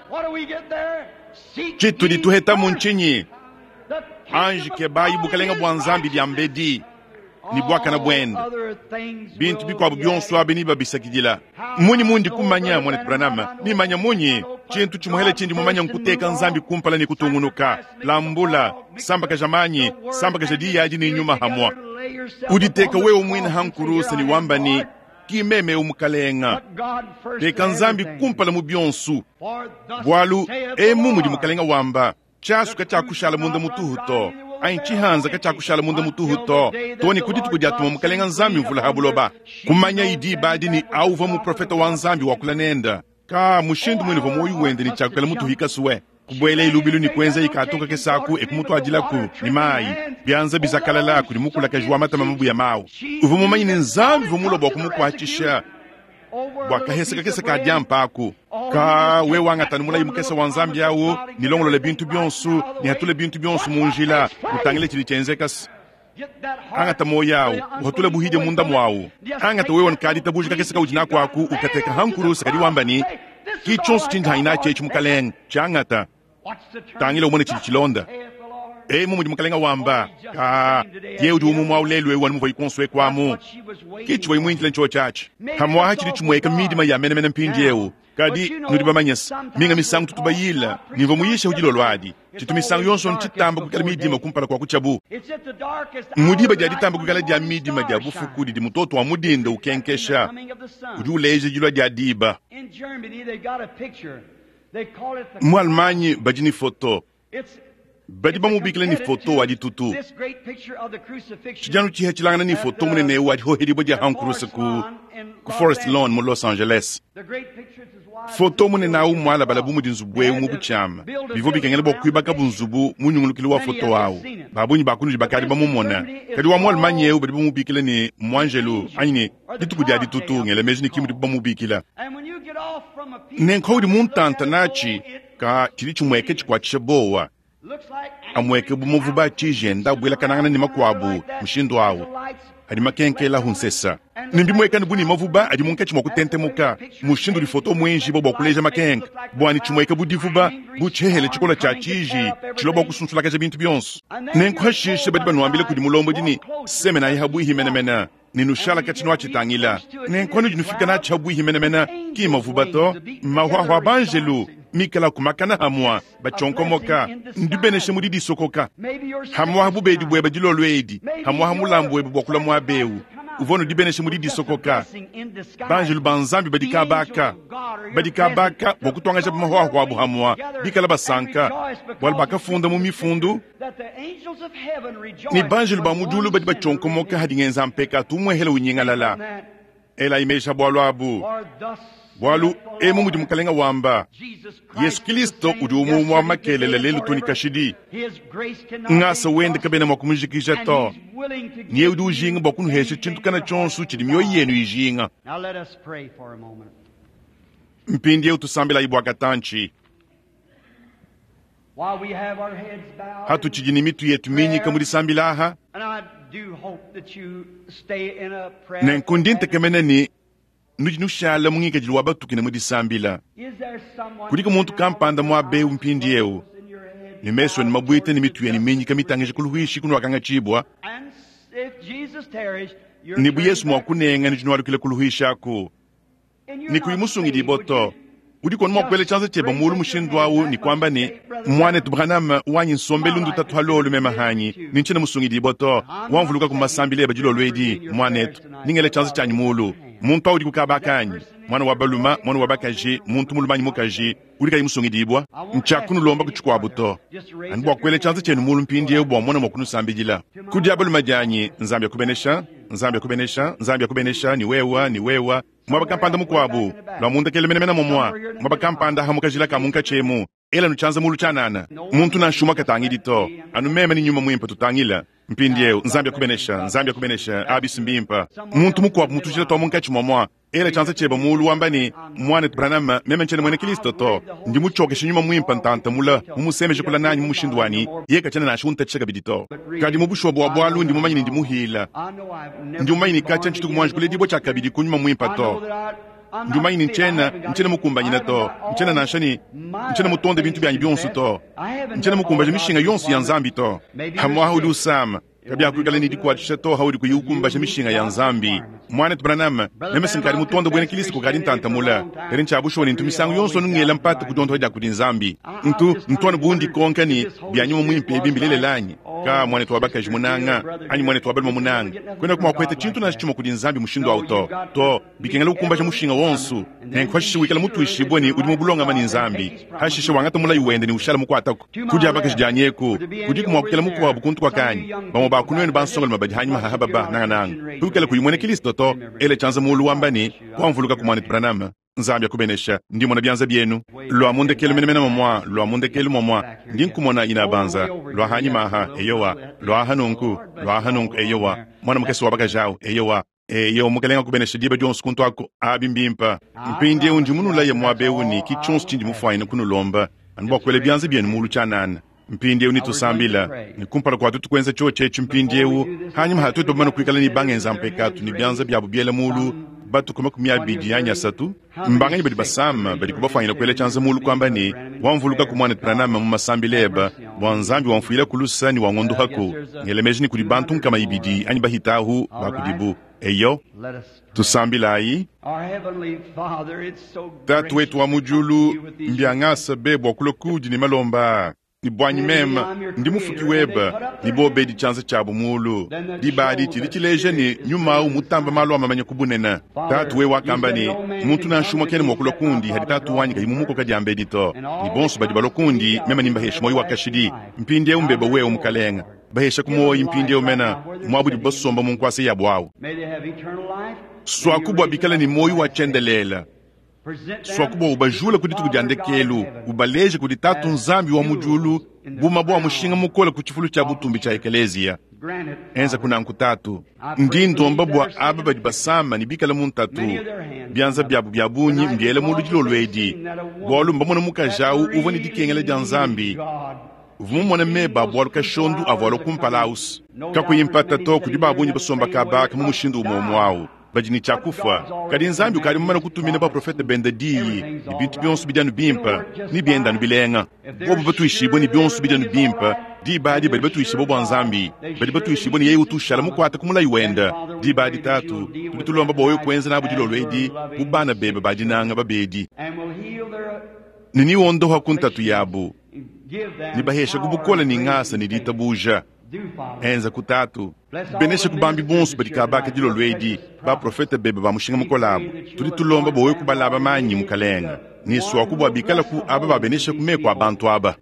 Tshitudi tuhetamu ntshinyi? Anji kebayi bukalenga bua Nzambi diambedi ne buakane buende, bintu bikuabu bionso abi nebabisakidila. Mmunyi mundi kumanya, muanetu Branham? Nimanya munyi? Tshintu tshimuhele tshindi mumanya nkuteka Nzambi kumpala ne kutungunuka. Lambula, sambakaja manyi, sambakaja diyi adi ne nyuma hamua. Uditeka wewe muine ha nkuruse ne wamba ne, Ki meme eu Mukalenga. Teka Nzambi kumpala mu bionso. Bualu emu mudi Mukalenga wamba, Tshiasu katshiakushala munda mutuhu to, anyi tshihanza katshiakushala munda mutuhu to, to ne ku dituku diatuma Mukalenga Nzambi mvula ha buloba. Kumanyayi diba adi ne au uvua muprofete wa Nzambi wakula nenda. Ka mushindu muine uvua muoyo wende ne tshiakuikala mutuhi kasue. Kubuelayi lubilu ne kuenzayi kato kakese aku e kumutuadilaku ne mayi, bianza bizakalala kudi mukulakaji wa matama mabuya mawu. Uvua mumanye ne Nzambi uvua mulue bua kumukuatshisha bua kahese kakese ka diampa aku. Ka wewe wangata anu mulayi mukese wa Nzambi au ne longolola bintu bionso ne hatule bintu bionso mu njila, utangile tshidi tshienzeka. Angata muoyo au, uhatule buhidia munda muawu. Angata wewe nkaditabuja kakese kaudi naku aku, ukateka ha nkuruse, kadi wamba ne, Ki tshionso tshindi hanyi natshi etshi, Mukalenge, tshiangata. Tangila umone tshidi tshilonda. Emu mudi Mukalenge wamba, ka ye udi umumue au lelu eu anu muvuayi kuonso eku amu. Ki tshivuayi muindile ntshiotshi atshi. Pamu'apa tshidi tshimueka midima ya menemene mpindieu. Kadi nudi bamanye se, minga misangu tutu bayila ne mvua muyishe dilolo adi. Tshitu misangu yonso ntshitamba kuikala midima kumpala kua kutshiabu. Mu diba dia ditamba kuikala dia midima dia bufuku didi mutoto wa mu dinda ukenkesha, udi uleja dilua dia diba. Mu Allemagne badi ne foto Badi bamubikila ne foto wa ditutu. Tshidi anu tshihatshilangana ne foto munene eu wa dihohedibua dia ha nkuruse ku, ku Forest Lawn mu Los Angeles. Foto munene au mmualabala bu mudi nzubu eu mu butshiama. Bivua bikengela bua kuibakabu nzubu mu nyungulukilu wa foto au. Ba bungi ba kunudi bakadi bamumona. Kadi wa mu Allemagne eu badi bamubikila ne, muanjelu anyi ne, dituku dia ditutu, ngela meji ne ki mudibu bamubikila. Nenku paudi mu ntanta natshi, Ka tshidi tshimueke tshikuatshisha buowa, amueke bu muvuba a tshiji enda abuelakanangana ne makuabu mushindu au, adi makenkelahu nsesa, ne mbimuekane bu ne mavuba adi munkatshi mua kutentemuka. Mushindu udi foto muenjibua bua kuleja makenka bua ne tshimueke bu divuba, bu tshihehele tshikole tshia tshiji tshilua bua kusunsulakaja bintu bionso. Nenku hashishe badi banuambila kudi mulombodi ne, Semenayi habuihi menemene. Ne nushala katshi nuatshitangila. Nenku anudi nufika natshi habuihi menemene, ki mavuba to, mahuahua a banjelu mikala ku makana hamua batshionkomoka, ndibenesha mu didisokoka hamuaha bubedi bueba dilolo edi, hamuaha mulambu webe bua kulua muaba eu uvua nudibenesha mu didisokoka. Banjelu ba Nzambi badi kabaka badi kabaka bua kutuangaja mahuahua abu hamua, bikala basanka bualu bakafunda mu mifundu ne banjelu ba mu diulu badi batshionkomoka hadi ngenza mpekatu umuehele unyingalala. Elayi meji a bualu abu, bualu emu mudi Mukalenga wamba, Yesu Kilisto udi umue umue wa makelela lelu to ne kashidi. Ngasa wende kabena mua kumujikija to, ne yeye udi ujinga bua kunuhesha tshintu kana tshionso tshidi mioyo yenu ijinga. Mpindieu tusambilayi bua katantshi. Hatutshidi ne mitu yetu minyika mu disambila aha, nenku ndi ntekemena ne Nudi nushala mu ngikadilu wa batuki ne mu disambila. Kudiku muntu kampanda muaba eu mpindieu, ne mesu enu mabuite ne mitu yenu minyika mitangija ku luhuishi kunuakangatshibua, ne bu Yesu mua kunenga nudi nualukila ku luhuishi aku, ne kuyi musungidibue to. Udiku anu mua kuela tshianza tshiebe muulu mushindu au ne kuamba ne, Muanetu Branham, wanyi nsombelu ndutatu halolu meme hanyi, ne ntshiena musungidibue to. Wamvuluka ku masambila ebe dilolo edi, muanetu, ne ngela tshianza tshianyi muulu. Muntu au udi ku kaba kanyi, muana wa balume, muana wa bakaji, muntu mulume anyi mukaji, udi kayi musungidibua? Ntshiakunulomba ku tshikuabu to, anu bua kuela tshianza tshienu muulu mpindieu bua mmone mua kunusambidila. Ku dia balume dianyi, Nzambi akubenesha, Nzambi akubenesha, Nzambi akubenesha, ne wewa, ne wewa. Muaba kampanda mukuabu, lua mundekele menemene momua, muaba kampanda aha mu kajila ka munkatshi emu, elanu tshianza mulu tshianana. Muntu nansha umue katangidi to, anu meme ne Nyuma Muimpe tutangila. Mpindieu, Nzambi akubenesha, Nzambi akubenesha, abi mbimpe. Muntu mukuabu mu tujila tua munkatshi muamua, ela tshianza tshiebe mulu wamba ne, Muanetu Branham, meme ntshiena muena Kilisto to. Ndi mutshiokeshe Nyuma Muimpe ntanta mula, mumusemeje kula nanyi mu mushindu wa ne, yeye katshiena nansha untatshisha kabidi to. Kadi mu bushuwa bua bualu ndi mumanye ne ndi muhila. Ndi mumanye ne katshia ntshituku muanji kuledibua tshiakabidi ku Nyuma Muimpe to. Ndi mumanye ne ntshiena, ntshiena mukumbanyine to. Ntshiena nansha ne, ntshiena mutonde bintu bianyi bionso to. Ntshiena mukumbaje mishinga yonso ya Nzambi to. Pamu'apa udi usama. Kabiakuikala ne dikuatshisha to haudi kuyi ukumbaja mishinga ya Nzambi. Muanetu Branham, meme si nkadi mutonde buena Kilisto kukadi ntanta mule. Kadi ntshia bushuwa ne ntu misangu yonso anu ngela mpata ku diondopa dia kudi Nzambi. Ntu, ntu anu bu ndikonka ne, Bia nyuma muimpe ebi mbilelela anyi? Ka, muanetu wa bakaji munanga, anyi muanetu wa balume munanga, kuenaku mua kupeta tshintu nansha tshimue kudi Nzambi mushindu au to. To, bikengela kukumbaja mushinga wonso. Nenku pashishe wikala mutuishibue ne, udi mu bulongame ne Nzambi. Pashishe wangata mulayi wende ne ushala mukuataku. Ku dia bakaji dianyi eku, kudiku mua kuikala mukuabu kuntu kuakanyi? Bamue ba ku nuenu bansongalume badi hanyima haha baba, nangananga biwikala kuyi muena Kilisto to, ela tshianza muulu wamba ne, Wamvulukaku muanetu Branham. Nzambi akubenesha. Ndi mmona bianza bienu. Lua mu ndekelu menemene mamua, lua mu ndekelu mamua. Ndi nkumona inabanza. Lua hanyima aha, eyowa. Lua aha nunku, lua aha nunku, eyowa. Muana mukese wa bakaji au, eyowa. Eyo, Mukelenge akubenesha diba dionso kuntu aku. Abi mbimpe. Mpindieu ndi munulaye muaba eu ne ki tshionso tshindi mufuanyine kunulomba, anu bua kuela bianza bienu mulu tshianana. Mpindieu netusambila, ne kumpala kua tuetu kuenza tshiotshi etshi mpindieu, hanyima ha tuetu bamane kuikala ne bangenza mpekatu ne bianza biabu biela mulu batuku 20 anyi 30, mbanganyi badi basama badiku bafuanyine kuela tshianza mulu kuamba ne, Wamvulukaku muanetu Branham mu masambila eba, bua Nzambi wamfuilaku lusa ne wangondohaku. Ngela meji ne kudi bantu 200 anyi bahitahu ba kudibu. Eyo. Tusambilayi. Tatu wetu wa mu diulu, mbiangasa be bua kulua kuudi ne malomba aa. Ne buanyi meme, ndi mufuki webe, ne bobedi tshianza tshiabu mulu. Diba adi tshidi tshileja ne, nyuma au mutamba malu a mamanya ku bunene. Tatu wewe wakamba ne, Muntu nansha umue kena mua kulua kundi hadi Tatu wanyi kayi mumukoka diambedi to. Ne bonso badi balua kundi, meme nembaheshe muoyo wa kashidi. Mpindieu mbebe wewe, Mukalenge. Bahesha ku muoyo mpindieu mena muaba udibu basomba mu nkuasa yabu au. Suaku bua bikale ne muoyo wa tshiendelele. Suaku bua ubajule ku dituku dia ndekelu, ubaleje kudi Tatu Nzambi wa mu diulu bu mabue a mushinga mukole ku tshifulu tshia butumbi tshia Ekeleziya. Enzaku nanku, Tatu. Ndi ndomba bua aba badi basama ne bikale mu ntatu, bianza biabu bia bungi mbiela mulu dilolo edi, bualu mbamone mukaji au uvua ne dikengela dia Nzambi, uvua mumone meba a bualu kashondu avua alua kumpala aus. Kakuyi mpata to, kudi ba bungi basomba kaba aka mu mushindu umue umue au. Badi ne tshia kufua. Kadi Nzambi ukadi mumane kutumina baprofete bende diyi, ne bintu bionso bidi anu bimpe, ne bienda anu bilenga. Bobu batuishibue ne bionso bidi anu bimpe, diba adi badi batuishibue bua Nzambi, badi batuishibue ne yeye utu ushala mukuate ku mulayi wende. Diba adi, Tatu, tudi tulomba bua wewe kuenza nabu dilolo edi bu bana bebe ba dinanga babedi, ne newondoha ku ntatu yabu, ne baheshaku bukole ne ngasa ne ditabuja. Enza ku Tatu. Benesha ku bambi bonso badi kabaka dilolo edi, baprofete bebe ba mushinga mukole abu. Tudi tulomba bua wewe kubalaba manyi, Mukalenge, ne suaku bua bikala ku aba babenesha ku meku a bantu aba,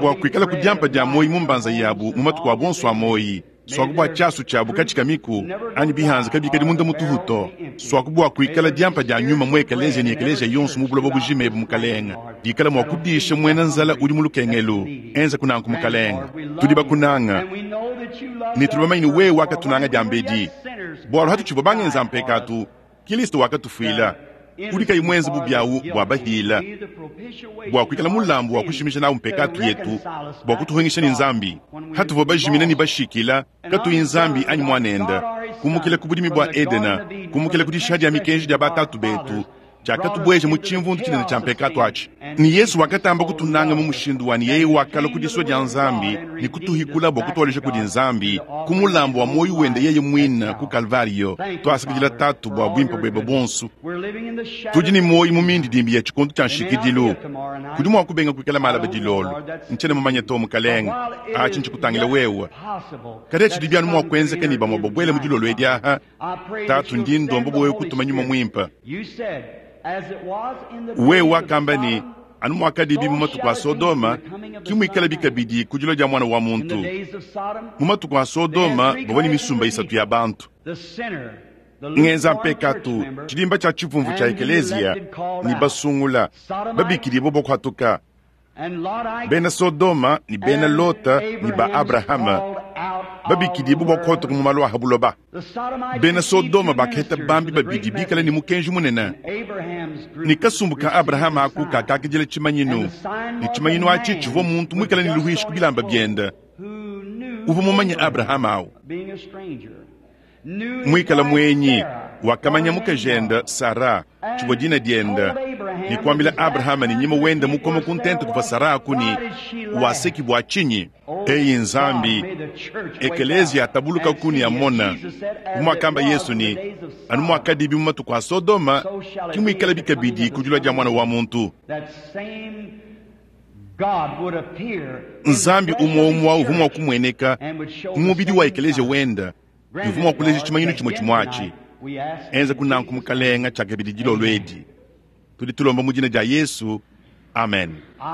bua kuikala ku diampa dia muoyo mu mbanza yabu mu matuku abu onso a muoyo. Suaku bua tshiasu tshiabu katshikamiku, anyi bihanza kabikadi munda mutuhu to. Suaku bua kuikala diampa dia nyuma mu ekeleziya ne ekeleziya yonso mu buloba bujima ebu, Mukalenge, dikala mua kudisha muena nzala udi mu lukengelu. Enzaku nanku, Mukalenge. Tudi bakunanga, ne tudi bamanye ne wewe wakatunanga diambedi, bualu hatutshivua bangenza mpekatu, Kilisto wakatufuila, udi kayi muenze bubi awu bua bahila, bua kuikala mulambu wa kushimija nawu mpekatu yetu, bua kutuhungisha ne Nzambi. Hatuvua bajimina ne bashikila, katuyi Nzambi anyi Muanende, Kumukila ku budimi bua Edena, kumukila ku dishiha dia mikenji dia batatu betu, tshiakatubueja mu tshimvundu tshinene tshia mpekatu atshi. Ne Yesu wakatamba kutunanga mu mushindu wa ne yeye wakalua ku disua dia Nzambi ne kutuhikula bua kutualeja kudi Nzambi ku mulambu wa muoyo wende yeye muine ku Kalvario. Tuasakidila Tatu bua buimpe buebe buonso. Tudi ne muoyo mu mindidimbi ya tshikondo tshia nshikidilu. Kudi mua kubenga kuikala malaba dilolo. Ntshiena mumanye to, Mukalenge. Atshi ntshikutangila wewe. Kadi atshidi anu mua kuenzeka ne bamue babuele mu dilolo edi aha. Tatu, ndi ndomba bua wewe kutuma Nyuma Muimpe. Wewe wakamba ne, anu muakadibi mu matuku a Sodoma, ke muikalabi kabidi ku dilua dia Muana wa muntu. Mu matuku a Sodoma bavua ne misumba isatu ya bantu. Ngenza mpekatu, tshidimba tshia tshivumvu tshia ekeleziya, ne basungula, babikidibue bua kuhatuka. Bena Sodoma ne bena Lota ne ba Abrahama babikidibue bua kuhatuka mu malu a ha buloba. Bena Sodoma bakaheta bambi babidi bikale ne mukenji munene, ne kasumbu ka Abrahama aku kakakidila tshimanyinu, ne tshimanyinu atshi tshivua muntu muikale ne luhuishi ku bilamba biende. Uvua mumanye Abrahama au muikale muenyi, wakamanya mukajende Sara, tshivua dina diende, ne kuambila Abrahama ne nyima wende mukoma ku ntente kuvua Sara aku ne, Waseki bua tshinyi? Eyi Nzambi, ekeleziya atabuluka ku ne amona, bu muakamba Yesu ne, anu muakadibi mu matuku a Sodoma, ke muikalabi kabidi ku dilua dia Muana wa muntu. Nzambi umue umue uvua mua kumueneka mu mubidi wa ekeleziya wende, ne uvua mua kuleja tshimanyinu tshimue tshimue atshi. Enza ku nanku, Mukalenga, tshiakabidi dilolo edi. Tudi tulomba mu dina dia Yesu. Amen. I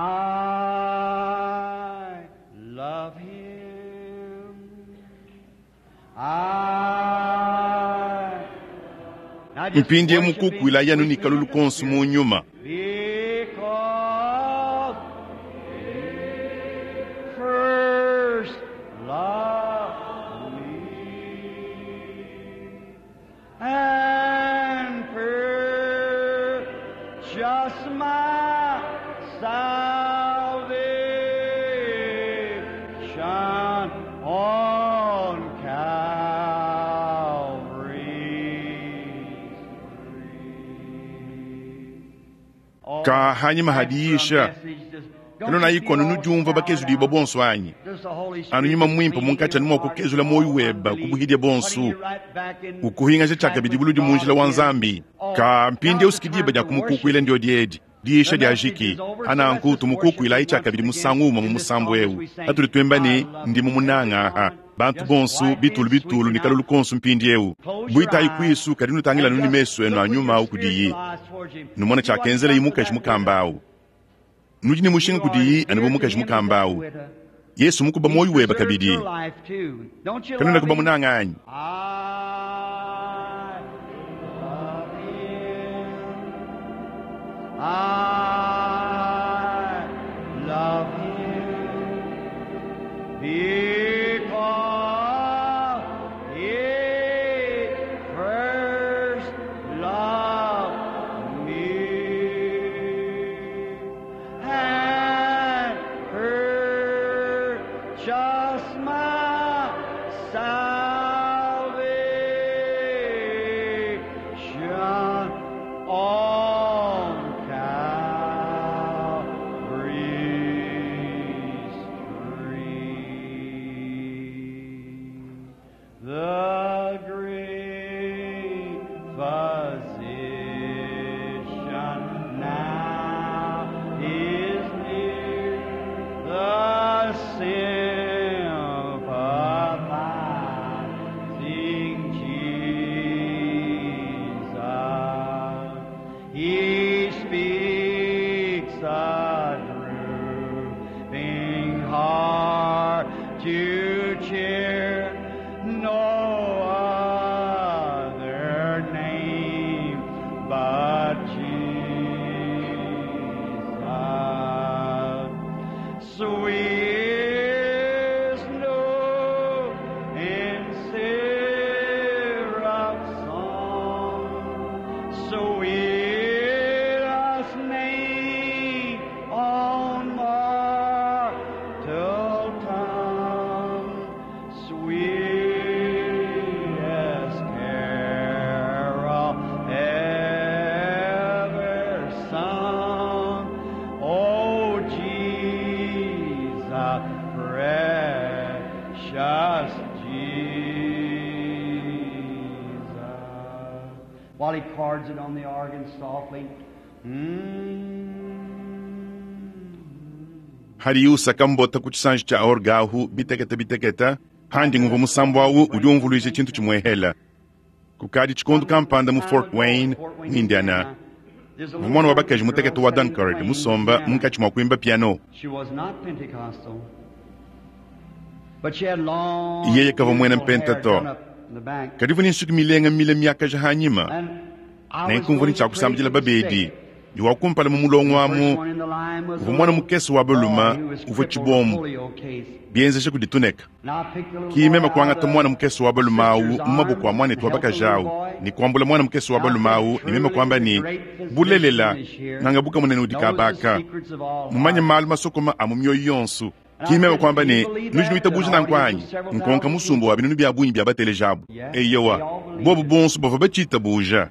love him. I Now just Mpindieu worship him mukukuila yanu with ne kalulu the konso mu nyuma. Because he first loved me and purchased my salvation on Calvary's tree. Ka hanyima hadiisha kanona ikono nudiumva bakezudibua bonso anyi anu nyuma muimpe munkatshi anu mua kukezula muoyo weba kubuhidia bonso ukuhingaja tshiakabidi buludi mu njila wa Nzambi. Ka mpindieu sikidiba dia kumukukuila ndio diedi diisha dia jiki ananku tumukukuilayi tshiakabidi musangu umue mu musambu eu atudi tuemba ne ndi mumunanga aha bantu bonso bitulu bitulu ne kalulu konso mpindieu buitayi kuisu kadi nutangila nuni mesu enu a nyuma au kudiyi numona tshiakenzela mukaji mukamba au nudi ne mushinga kudiyi anu bu mukaji mukamba au Yesu mukuba muoyo weba kabidi kanuna kuba munanga anyi I love him. I love him because he first loved me and purchased my salvation on Calvary's tree. The great physician now is near, the sympathizing Jesus. He speaks a drooping heart to cheer, no other name but Jesus. Sweet snow in syrup song, sweetest name on mortal tongue, sweetest Hadiye usaka mbota ku tshisanji tshia orge ahu bitekete bitekete, handi ngumvua musambu au udi umvuluija tshintu tshimuehela. Kukadi tshikondo kampanda mu Fort Wayne, mu Indiana, muvua muana wa bakaji mutekete wa Dunkard musomba munkatshi mua kuimba piano. Yeye kavua muena mpenta to, kadi uvua ne nsuki milenga mile miakaja hanyima. Nenku mvua ne tshia kusambidila babedi, ne wa kumpala mu mulongo amu uvua muana mukese wa balume uvua tshibombo bienzesha kudi tuneka. Ki meme kuangata muana mukese wa balume au mu maboko a muanetu wa bakaji au ne kuambula muana mukese wa balume au ne meme kuamba ne, Bulelela, nganga buka munene udi kabaka, mumanye malu masokoma a mu mioyo yonso. Ki meme kuamba ne, Nudi nuitabuja nanku anyi? Nkonka musumba wa binunu bia bungi bia batelejabu. Eyowa, bobu bonso bavua batshitabuja.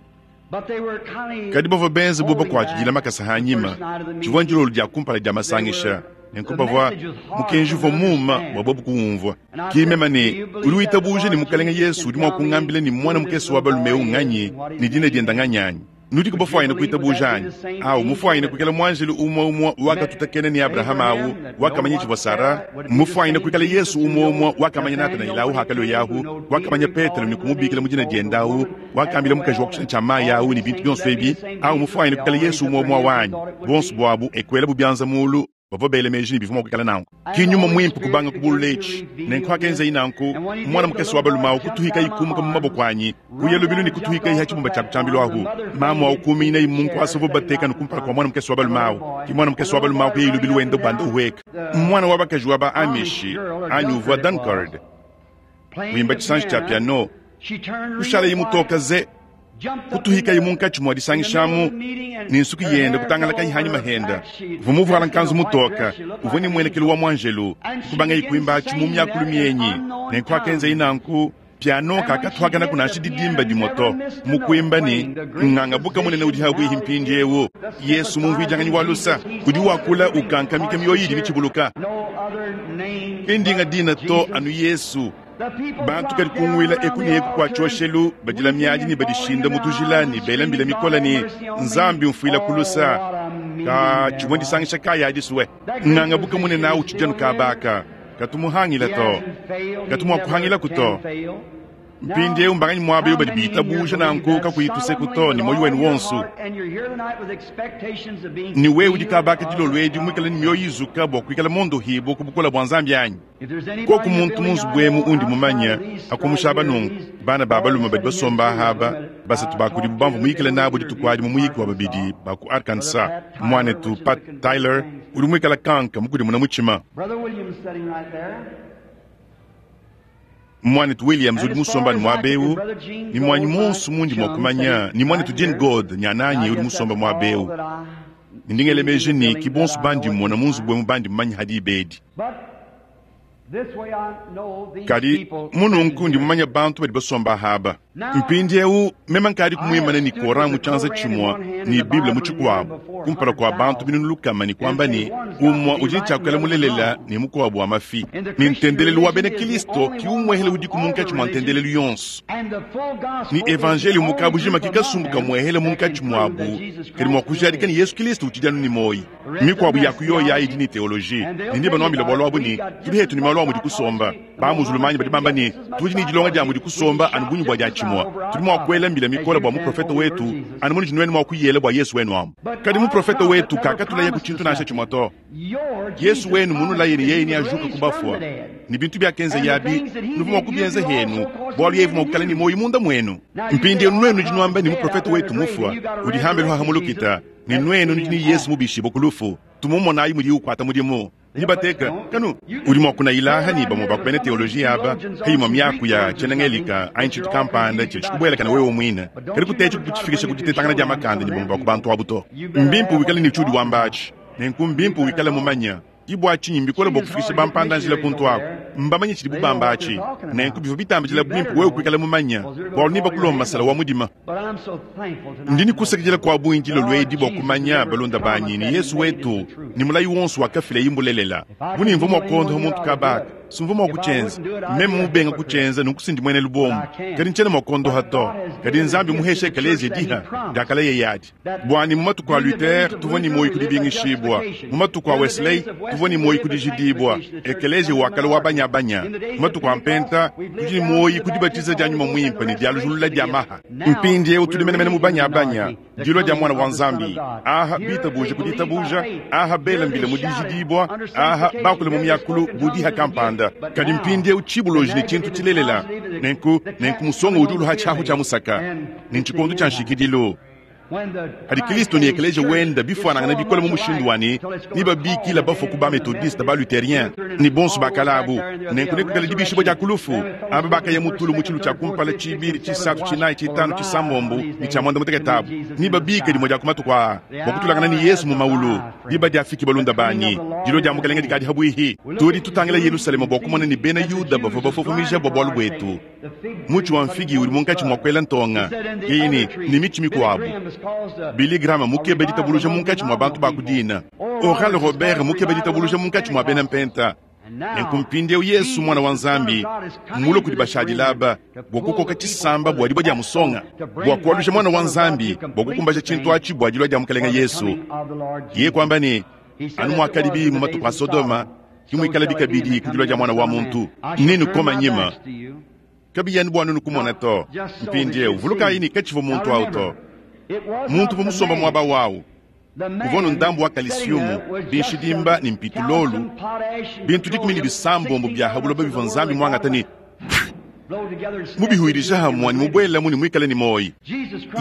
Kadi bavua benze bu bakuatshidila makasa anyima. Tshivua ndilolo dia kumpala dia masangisha, nenku bavua mukenji uvua muuma bua bobu kuwumvua. Ki meme ne, Udi witabuja ne Mukalenge Yesu udi mua kungambila ne muana mukese wa balume eu nganyi ne dina diende nganyi anyi? Nudiku bafuanyine kuitabuja anyi? Au mufuanyine kuikala muanjelu umue umue wakatutakena ne Abrahama au wakamanya tshivua Sara, mufuanyine kuikala Yesu umue umue wakamanya Natanaele au hakalua ahu, wakamanya Petelo ne kumubikila mu dina diende au, wakambila mukaji wa kushina tshia mayi au ne bintu bionso ebi, au mufuanyine kuikala Yesu umue umue wanyi. Bonso buabu ekuelabu bianza mulu. Bavua bela meji ne bivua mua kuikala nanku. Ki nyuma muimpe kubanga kubulula etshi. Nenku hakenzayi nanku, muana mukese wa balume au kutuhikayi kumuka mu maboko anyi, kuya lubilu ne kutuhikayi ha tshibumba tshia tshiambilu ahu. Mamu au kuminyinayi mu nkuasa uvua bateka anu kumpala kua muana mukese wa balume au. Ki muana mukese wa balume au kuyayi lubilu wenda ubanda uhueka. Muana wa bakaji wa ba Amish anyi uvua Dunkard wimba tshisanji tshia piano, kushalayi mutoka ze. Kutuhikayi munkatshi mua disangishamu ne nsuki yende kutangalakayi hanyima henda. Uvua muvuala nkanzu mutoka, uvua ne muenekelu wa muanjelu. Kubangayi kuimbatshi mu miakulu mienyi. Nenku hakenzayi nanku, piano kakatuakanaku nansha didimba dimue to. Mu kuimba ne nganga buka munene udi habuihi mpindieu, Yesu mumvuidianganyi wa lusa udi wakula ukankamika mioyo idi mitshibuluka. Ki ndinga dina to anu Yesu. Bantu kadikunguila eku ne eku kua tshioshelu, badila miadi ne badishinda mu tujila ne bela mbila mikole ne, Nzambi mfuila ku lusa. Ka tshivua ndisangisha kayi adi sue? Nganga buka munene au utshidi anu kabaka, katu muhangila to, katu mua kuhangilaku to. Mpindieu mbanganyi muaba eu badi bitabuja nanku kakuyi tuseku to ne muoyo wenu wonso? Ne wewe udi kabaka dilolo edi muikale ne mioyo izuka bua kuikala mondohibue ku bukole bua Nzambi anyi? Koku muntu mu nzubu emu undi mumanye, akumusha aba nunku, bana ba balume badi basomba aha aba, basatu ba kudibu bamvua muyikile nabu dituku adi mu muyiki wa babidi ba ku Arkansas, muanetu Pat Tyler udi muikale kanka mukudimuna mutshima, muanetu Williams udi musomba anu muaba eu, ne muanyi muonso mundi mua kumanya, ne muanetu Gene Goad nyananyi udi musomba muaba eu. Ne ndi ngela meji ne ki bonso bandi mmona mu nzubu emu bandi mumanye ha diba edi. Kadi mu nunku ndi mumanye bantu badi basomba aba. Mpindieu meme nkadi kumuimana ne Koran mu tshianza tshimue ne Bible mu tshikuabu kumpala kua bantu binunu lukama ne kuamba ne, umue udi ne tshiakuela mulelela ne mukuabu wa mafi. Ne ntendelelu wa bena Kristo ki umuehele udiku munkatshi mua ntendelelu yonso. Ne evanjeliyo mu kabujima ki kasumbu kamuehele munkatshi muabu kadi mua kujadika ne Yesu Kristo utshidi anu ne muoyo. Mikuabu ya ku yoyi ayi idi ne teoloji, ne nebanuambile bualu abu ne, tudi hetu ne malu a mudi kusomba. Ba-muzulumanyi badi bamba ne, tudi ne dilonga dia mudi kusomba anu bungi bua diatshimue. Tudi mua kuela mbila mikole bua muprofete wetu anu munudi nuenu mua kuyela bua Yesu wenu amu. Kadi muprofete wetu kakatulayaku tshintu nansha tshimue to. Yesu wenu munulaye ne yeye neajuke ku bafua, ne bintu biakenzaye abi nuvua mua kubienza henu, bualu yeye uvua mua kuikala ne muoyo munda muenu. Mpindieu nuenu nudi nuamba ne, muprofete wetu mufua, udi hambelu haha mu lukita, ne nuenu nudi ne Yesu mubishibue ku lufu. Tumumonayi mudiye ukuata mudimu. Ni bateka kanu udi mua kunayilaha ne bamue ba ku bena teoloji aba pa imue miaku ya tshiena-Ngelika anyi tshintu kampanda tshidi tshikubuelakana wewe muine, kadi kutetshi kutshifikisha ku ditetangana dia makanda ne bamue ba ku bantu abu to. Mbimpe wikale ne tshiudi wamba atshi. Nenku mbimpe wikale mumanye. Ke bua tshinyi mbikole bua kufikisha bampanda-njila kuntu aku. Mbamanye tshidibu bamba atshi. Nenku bivua bitambidila buimpe wewe kuikala mumanye, bualu nebakulombe masala wa mudima. Ndi ne kusakidila kua bungi dilolo edi bua kumanya, balunda banyi, ne Yesu wetu ne mulayi wonso wakafileye mbulelela. Bu ne mvua mua kuondoha muntu kaba aka. Sumvua mua kutshienza. Meme mubenga kutshienza, nunku sindi muena lubombo. Kadi ntshiena mua kuondoha to. Kadi Nzambi muheshe ekeleziya diha diakalaya yadi. Bua ne mu matuku a Luther tuvua ne muoyo ku dibingishibua, mu matuku a Wesley tuvua ne muoyo ku dijidibua, ekeleziya wa kale wa banyabanya. Mu matuku a Mpenta tudi ne muoyo ku dibatiza dia Nyuma Muimpe ne dialujulula dia maha. Mpindieu tudi menemene mu banyabanya, dilua dia Muana wa Nzambi. Aha bitabuje ku ditabuja, aha bela mbila mu dijidibua, aha bakula mu miakulu bu diha kampanda. Kadi mpindieu tshibuloji ne tshintu tshilelela. Nenku, nenku musonga udi uluha tshiahu tshia musaka, ne ntshikondo tshia nshikidilu. Padi Kristo ne ekeleziya wende bifuanangana bikole mu mushindu wa ne, nebabikile bafue ku ba-Methodiste, ba-Lutherien, ne bonso ba kale abu. Nenku nekuikale dibiishibua dia ku lufu. Aba bakaya mu tulu mu tshilu tshia kumpala, tshibidi, tshisatu, tshinayi, tshitanu, tshisambombo, ne tshia muanda-mutekete abu nebabike dimue dia ku matuku aa bua kutulangana ne Yezu mu mawulu. Diba diafiki, balunda banyi, dilua dia Mukalenge dikadi pabuipi. Tudi tutangila Yelushalema bua kumona ne bena Yuda bavua bafofomija bua bualu buetu. Mutshi wa mfigi udi munkatshi mua kuela ntonga, yeye ne, ne mitshi mikuabu. Billy Graham mukebe ditabuluja munkatshi mua bantu ba ku dina. Oral Robert mukebe ditabuluja munkatshi mua bena mpenta. Nenku mpindieu Yesu Muana wa Nzambi mmulue kudi bashadile aba bua kukoka tshisamba bua dibue dia musonga, bua kualuja Muana wa Nzambi bua kukumbaja tshintu atshi bua dilua dia Mukalenge Yesu. Yeye kuamba ne, Anu muakadibi mu matuku a Sodoma, ke muikalabi kabidi ku dilua dia Muana wa muntu. Nenukome nyima, kabiyi anu bua nuenu kumona to. Mpindieu vulukayi ne, katshivua muntu au to. Muntu uvua musombe muaba wawu uvua nu ndambu wa kalisiumu, binshidimba ne mpitulolu, bintu 16 bia ha buloba bivua Nzambi muangate ne mubihuidija hamue ne mubuelamu ne muikale ne muoyo.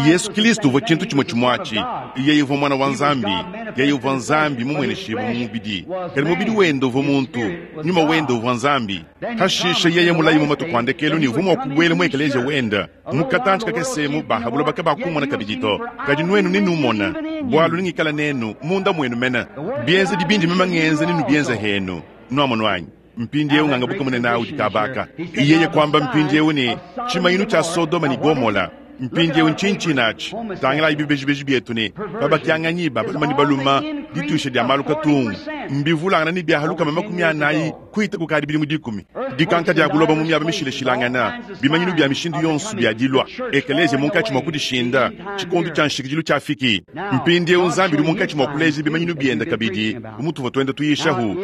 Yesu Kilisto uvua tshintu tshimue tshimue atshi. Yeye uvua Muana wa Nzambi. Yeye uvua Nzambi mumueneshibue mu mubidi, kadi mubidi wende uvua muntu, nyuma wende uvua Nzambi. Hashishe yeye mulayi mu matuku a ndekelu ne uvua mua kubuela mu ekeleziya wende. Mu katantshi kakese emu ba ha buloba kabakumona kabidi to, kadi nuenu nenumone, bualu nengikale nenu munda muenu mene. Bienzedi bindi meme ngenza nenubienze henu. Nuamonu anyi? Mpindieu ngangabuka munene udi kabaka. Yeye kuamba mpindieu ne, tshimanyinu tshia Sodoma ne Gomola. Mpindieu ntshinyi tshinatshi? Tangilayi bibejibeji bietu ne babakianganyi ba balume ne balume, dituisha dia malu katungu mbivulangana ne bia 40 kuhita kukadi bidimu 10. Dikanka dia buloba mu miaba mishilashilangana, bimanyinu bia mishindu yonso bia dilua ekeleziya munkatshi mua kudishinda, tshikondo tshia nshikidilu tshiafiki. Mpindieu Nzambi udi munkatshi mua kuleja bimanyinu biende kabidi bu mutuvua tuenda tuyishahu.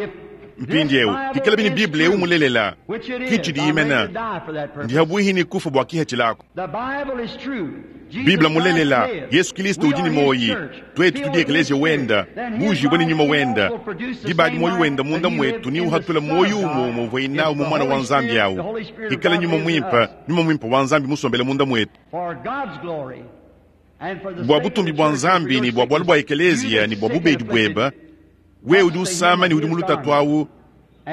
Mpindieu bikalabi ne Bible eu mulelela, ki tshidiyi mene, ndi habuihi ne kufa bua kihatshilako. Bible mulelela, Yesu Kilisto udi ne muoyi, tuetu tudi ekeleziya wenda, buujibue ne nyuma wenda. Diba adi muoyo wenda munda muetu ne uhatula muoyo umue umue uvuaye nawu mu Muana wa Nzambi au. Ikala Nyuma Muimpe, Nyuma Muimpe wa Nzambi musombele munda muetu. Bua butumbi bua Nzambi ne bua bualu bua ekeleziya ne bua bubedi bueba, wewe udi usama ne udi mu lutatu awu,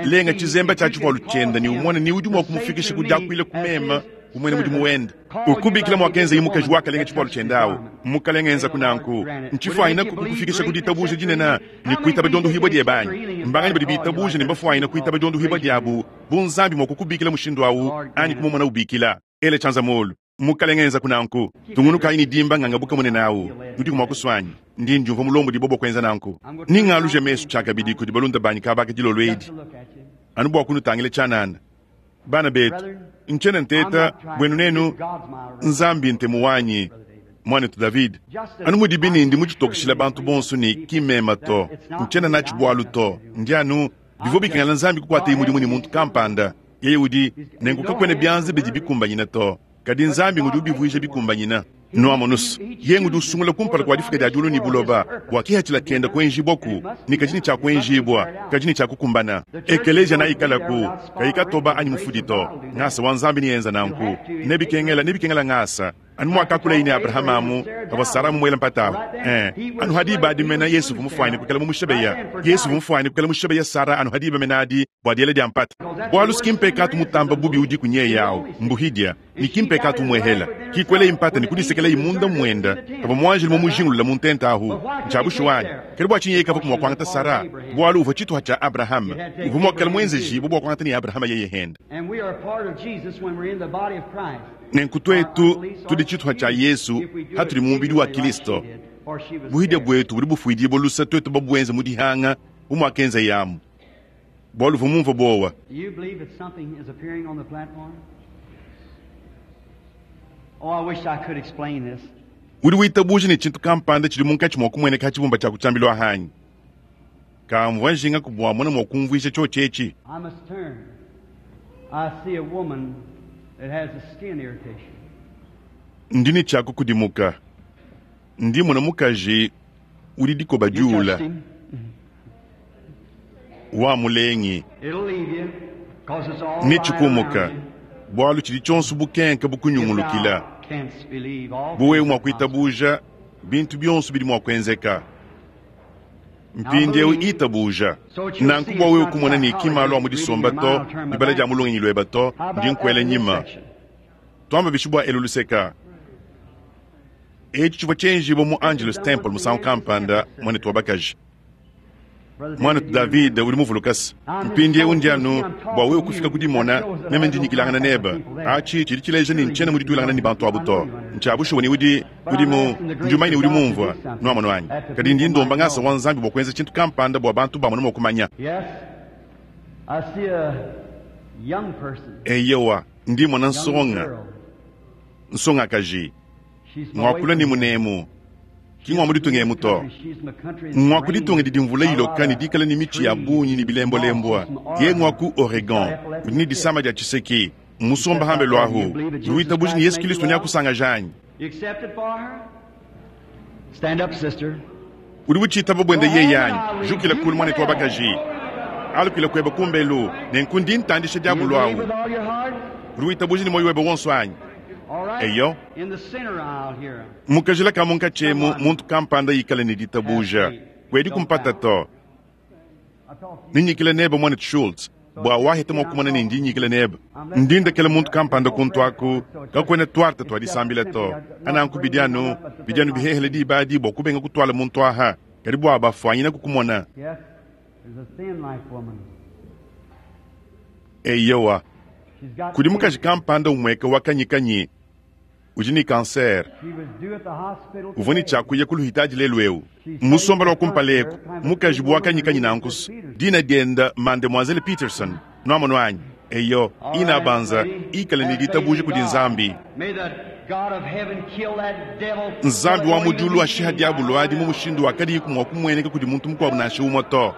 lenga tshizemba tshia tshivualu tshiende ne umone ni udi mua kumufikisha ku diakuila ku mema bu muena mudimu wende. Ukubikila muakenzaye mukaji wakalenga tshivualu tshiende awu. Mukalenge enzaku nanku. Ntshifuanyine kukufikisha ku ditabuja dinene ne kuitaba diondohibua diebe anyi? Mbanganyi badi bitabuja ne mbafuanyine kuitaba diondohibua diabu bu Nzambi mua kukubikila mushindu awu anyi kumumona ubikila? Ela tshianza muulu. Mukalenge enzaku nanku. Tungunukayi ne dimba ngangabuka munene awu. Nudiku mua kusua anyi? Ndi ndiumvua mulombodibue bua kuenza nanku. Ningaluje mesu tshiakabidi kudi balunda banyi kabaka dilolo edi, anu bua kunutangila tshianana. Bana betu, ntshiena nteta buenu nenu, Nzambi ntemu wanyi, muanetu David. Anu mudibi ne ndi muditokeshile bantu bonso ne ki mmeme to, ntshiena natshi bualu to. Ndi anu, bivua bikengela Nzambi kukuataye mudimu ne muntu kampanda. Yeye udi, nenku kakuena bianza bidi bikumbanyine to, kadi Nzambi ngudi ubivuija bikumbanyine. Nuamonus, yeye ngudi usungula kumpala kua difuka dia diulu ne buloba, bua kihatshila kenda kuenjibuaku, ne kadi ne tshia kuenjibua, kadi ne tshia kukumbana. Ekeleziya naikalaku, kayi katoba anyi mufudi to. Ngasa wa Nzambi neyenza nanku. Nebikengela, nebikengela ngasa. Anu muakakulaye ne Abrahama amu pavua Sara mumuele mpata awu. Ee, anu ha diba adi mene Yesu uvua mufuanyine kuikala mumushebeya. Yesu uvua mufuanyine kuikala mushebeya Sara anu ha diba mene adi bua diela dia mpata. Bualu ki mpekatu mutamba bubi udiku nyeye awu, mbuhidia, ne ki mpekatu umuehela. Ki kuelayi mpata ne kudisekelayi munda muenda pavua muanjelu mumujingulula mu ntenta ahu. Ntshia bushuwa anyi? Kadi bua tshinyi yeye kavuaku mua kuangata Sara? Bualu uvua tshituha tshia Abrahama. Uvua mua kuikala muenzejibue bua kuangata ne Abrahama yeye hende. Nenku tuetu tudi tshituha tshia Yesu hatudi mu mubidi wa Kilisto. Buhidia buetu budi bufuidibua luse tuetu babuenze mu dihanga bu muakenzeye amu. Bualu uvua mumvue buowa. Do you believe that something is appearing on the platform? Oh, I wish I could explain this. Udi witabuja ne tshintu kampanda tshidi munkatshi mua kumueneka ha tshibumba tshia ku tshiambilu ahanyi. Kamvua njinga bua mona mua kumvuija tshiotshi etshi. I must turn. I see a woman that has a skin irritation. Ndi ne tshia kukudimuka. Ndi mmona mukaji udi dikoba You diula touched him. wa mulengi. It'll leave you, 'cause it's all Ne right tshikumuka, around you. bualu tshidi tshionso bukenka If bukunyungulukila. thou canst believe, all Bu wewe things mua are possible. kuitabuja, bintu bionso bidi mua kuenzeka. Mpindieu itabuja. Nanku bua wewe kumona ne ki malu a mu disomba to, dibala dia mu lungenyi lueba to, How ndi about nkuela up in this nyima. section? Tuamba bishi bua elu luseka. Etshi tshivua tshienjibua mu Angelus Temple musangu kampanda, muanetu wa bakaji. Brother Muanetu David, David udi muvulukase. Mpindieu ndi anu bua wewe kufika ku dimona meme ndi nyikilangana nebe. Atshi tshidi tshileja ne ntshiena mu dituilangana ne bantu abu to. Ntshia bushuwa ne udi udi mu ndi umanye ne udi mumvua nuamonu anyi. Kadi ndi ndomba ngasa wa Nzambi bua kuenza tshintu kampanda bua bantu bamone mua kumanya. Yes, I see a young person, Eyowa, ndi mona young nsonga, girl. nsongakaji. She's my way Ngwakula ne from here. munemu. Ki ngwa mu ditunga emu to. Ngwa ku ditunga didi mvula iloka ne dikala ne mitshi ya bungi ne bilembolembwa. Ye ngwa ku Oregon, udi ne disama dia tshiseki. Musomba hambe lwahu. Udi witabuja ne Yesu Kristo neakusangaja anyi? You accept it for her? Stand up, sister. Udi utshitaba buende yeye anyi? Jukila kulu muanetu wa bakaji. Alukila kueba kumbelu, nenku ndi ntandisha You diabulu believe awu. with all your heart? Udi witabuja ne muoyo webe wonso anyi? All right. Eyo. In the center aisle here. Mukajila ka munkatshi emu, muntu kampanda ikale ne ditabuja. Kuedi kumpata to. I talk to you. Ninyikile nebe muanetu Schultz bua waheta mua kumona ne ndi nyikile nebe. Ndi ndekela muntu kampanda kuntu aku, kakuena tuarte tua disambila to. Ananku bidi anu, bidi anu bihehele diba adi bua kubenga kutuala muntu aha. Kadi bua bafuanyina kukumona. Yes, there's a thin life woman. Eyowa, She's got kudi mukaji cancer. kampanda umueka wa kanyikanyi udi ne kanser. She was due at the hospital Uvua ne today. tshiakuya ku luhitaji lelu eu. Musombela wa kumpala eku, mukaji bu wakanyikanyi nankusu. Dina dienda Mademoiselle Peterson. Nuamonu anyi? Eyo, All right, ina banza, lady. ikale ne Have faith ditabuja in kudi God. Nzambi. May the God of heaven kill that devil. Nzambi wa mu diulu ashiha Till it diabulu won't adi even mu be seen. mushindu wakadiyi mua kumueneka kudi muntu mukuabu nansha umue to.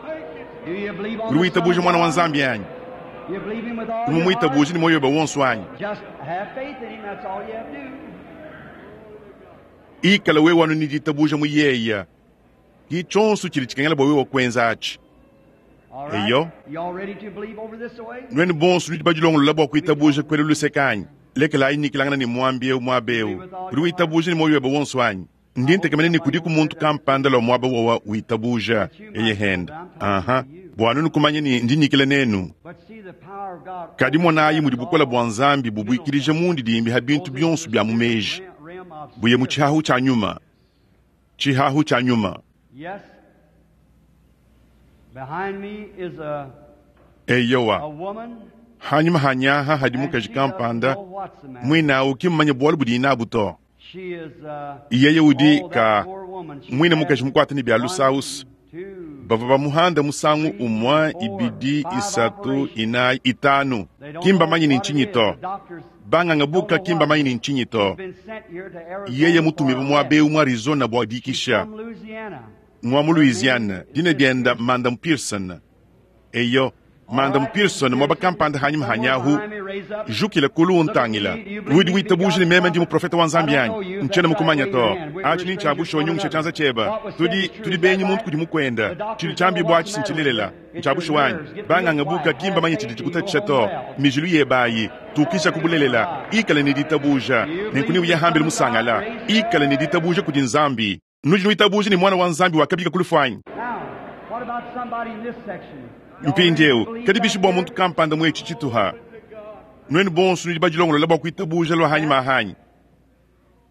Do you believe on Udi the witabuja Son of mwana wa God? Nzambi anyi? You believe him with all Udi your heart? mumuitabuja ne muoyo webe wonso anyi? Just have faith in him, that's all you have to do. Ikala wewe anu ne ditabuja mu yeya. Ki tshionso tshidi tshikengela bua wewe kuenza atshi. All right? Eyo. You all ready to believe over this way? Nuenu bonso nudi badilongolola bua kuitabuja kuela luseka anyi? Lekelayi nyikilangana ne muambi eu muaba eu. Udi witabuja ne muoyo webe wonso anyi? Ndi ntekemena ne kudiku muntu kampanda lua muaba wawa witabuja eye henda. Aha, bua nunu kumanya ne ndi nyikila nenu. But see the power of God. Kadi monayi mudi bukola bua Nzambi bubuikilija mundi dimbi ha bintu bionso bia mu meji. Realm of Buye mu spirit. tshihahu tshia nyuma. Tshihahu tshia nyuma. Yes. Behind me is a, Eyowa, a woman. hanyuma hanyaha hadi and mukaji she doesn't kampanda know what's the matter. mwinawu kimmanya bualu budi inabu to. She is, Yeye udi oh, that ka poor woman. She mwine had mukaji mukwate ne bia one, lusausu. two, Bavua bamuhanda musangu three, umwa four, ibidi five isatu operations. inayi itanu. They don't Kimba know manyi ni what it nchinyi is. to. The doctors Banganga don't buka know kimba what manyi it ni is. nchinyi She's to. been sent here to Arizona Yeye for mutumiwe a muaba test. eu mu Arizona bua She's dikisha. from Louisiana. Ngwa mu Her name Louisiana, is dina Miss dienda Pearson. Madam Pearson. Eyo, All Madam right, Miss Pearson mwaba Pearson, kampanda hanyuma somewhere hanyahu. behind me, raise up. Jukila kulu Look at untangila. me. Do you believe Udi me to be witabuja ne God's meme ndi prophet? muprofeta wa I Nzambi don't know anyi. you. If Ntshiena that's right, mukumanya wave your to. hand. We're Achi ni strangers to tshiabusha one unyungisha another. tshianza tshieba. What was said Tudi is true. tudi Is that benyi muntu right? kudi The mukwenda. Tshidi doctors don't know tshiambi what's bua the tshi matter with ntshilelela. you. It's your Ntshiabusha wanyi. nerves. Get real Banganga buka quiet. kimba Have manyi faith tshidi and you go tshikutatshisha home to. well. Mijilu yebayi. Tukisha kubulelela. Ikale ne ditabuja. Do you Nenku believe ni in the uyahambile Son of God? musangala. Raise Ikale ne ditabuja kudi Nzambi. Nudi nuitabuja ne mwana wa Nzambi wakabika kulufu anyi? Now, what about somebody in this section? Y'all ready to Mpindieu, believe kadi back bishi bua here? muntu kampanda mu etshi tshituha. Nuenu bonso nudi badilongolola bua kuitabuja lua hanyuma ahanyi. Are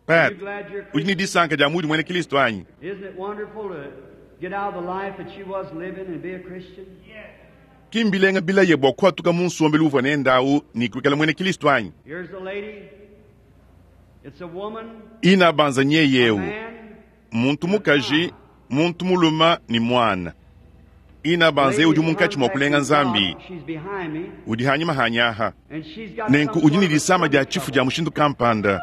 Pat, you glad you're a udi ne Christian? disanka dia mudi muena Kristo anyi? Isn't it wonderful to get out of the life that you was living and be a Christian? Kimbilenga bilaye bua kuatuka mu nsombelu uvua nendawu ne kuikala muena Kristo anyi? Here's a lady. It's a woman, Ina banza a nyeyewu, man, muntu and a mukaji, child. muntu muluma ne mwana. Ina banze udi munkatshi mua kulenga Nzambi, udi hanyima hanyaha. Nenku udi ne disama dia tshifu dia mushindu kampanda,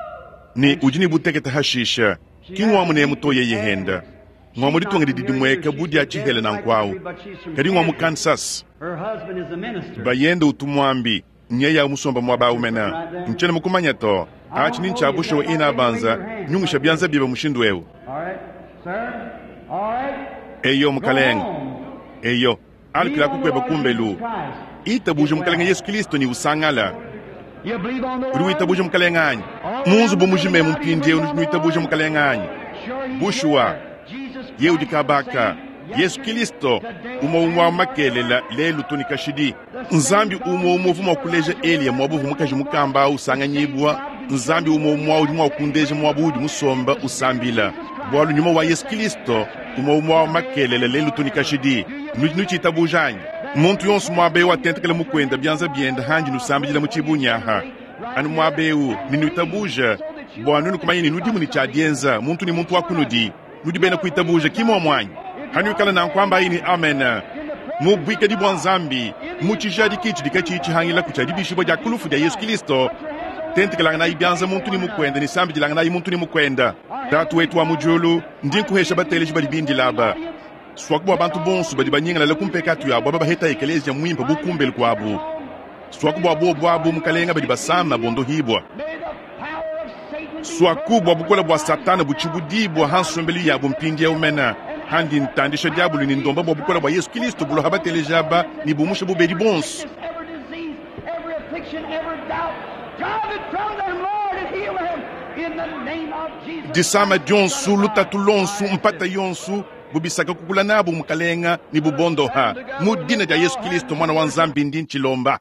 ne udi ne butekete hashisha. Ki ng'wa munemu to yeye henda. Ng'wa mu ditunga didi dimueka bu dia tshihela nanku awu. Kadi ng'wa mu Kansas. Bayende utu muambi, nyeye awu musomba muaba awu mena. Ntshiena mukumanya to. Atshi ni ntshia bushuwa ina banza, nyungusha bianza biebe mushindu eu. Eyo, mukalenge. Eyo, alukila kukueba kumbelu. Itabuja Mukalenge Yesu Kristo ne usangala. Udi witabuja Mukalenge anyi? Mu nzubu mujima emu mpindieu nudi nuitabuja Mukalenge anyi? Bushuwa, yeye udi kabaka, Yesu Kristo, umue umue wa makelela, lelu to ne kashidi. Nzambi umue umue uvua mua kuleja Eliya muaba uvua mukaji mukamba au usanganyibua. Nzambi umue umue udi mua kundeja muaba uudi musomba usambila, bualu nyuma wa Yesu Kristo, umue umue wa makelela, lelu to ne kashidi. Nudi nutshitabuja anyi? Muntu yonso muaba eu atentekele mukuenda bianza biende handi nusambidila mu tshibunyi aha anu muaba eu, ne nuitabuja bua nuenu kumanya ne nudimu ne tshia dienza, muntu ne muntu wa kunudi. Nudi bena kuitabuja, ki muomu anyi? Hanuikala nanku ambayi ne amen mu buikadi bua Nzambi, mu tshijadiki tshidi katshiyi tshihangilaku tshia dibishibua dia ku lufu dia Yesu Kilisto. Tentekelanganayi bianza muntu ne mukuende ne sambidilanganayi muntu ne mukuende. Tatu wetu wa mu diulu, ndi nkuhesha bateleji badi bindila aba. Suaku bua bantu bonso badi banyingalala ku mpekatu yabu aba baheta ekeleziya muimpe bu kumbelu kuabu. Suaku bua bobu abu, Mukalenga, badi basama bondohibua. Suaku bua bukole bua Satana butshibudibua ha nsombelu yabu mpindieu mena, handi ntandisha diabolo ne ndomba bua bukole bua Yesu Kilisto bulua ha bateleji aba ne bumusha bubedi buonso. Disama dionso, lutatu luonso, mpata yonso, bubisaka kukula nabu, Mukalenga, ne bubondoha. Mu dina dia Yesu Kilisto, Muana wa Nzambi, ndi ntshilomba.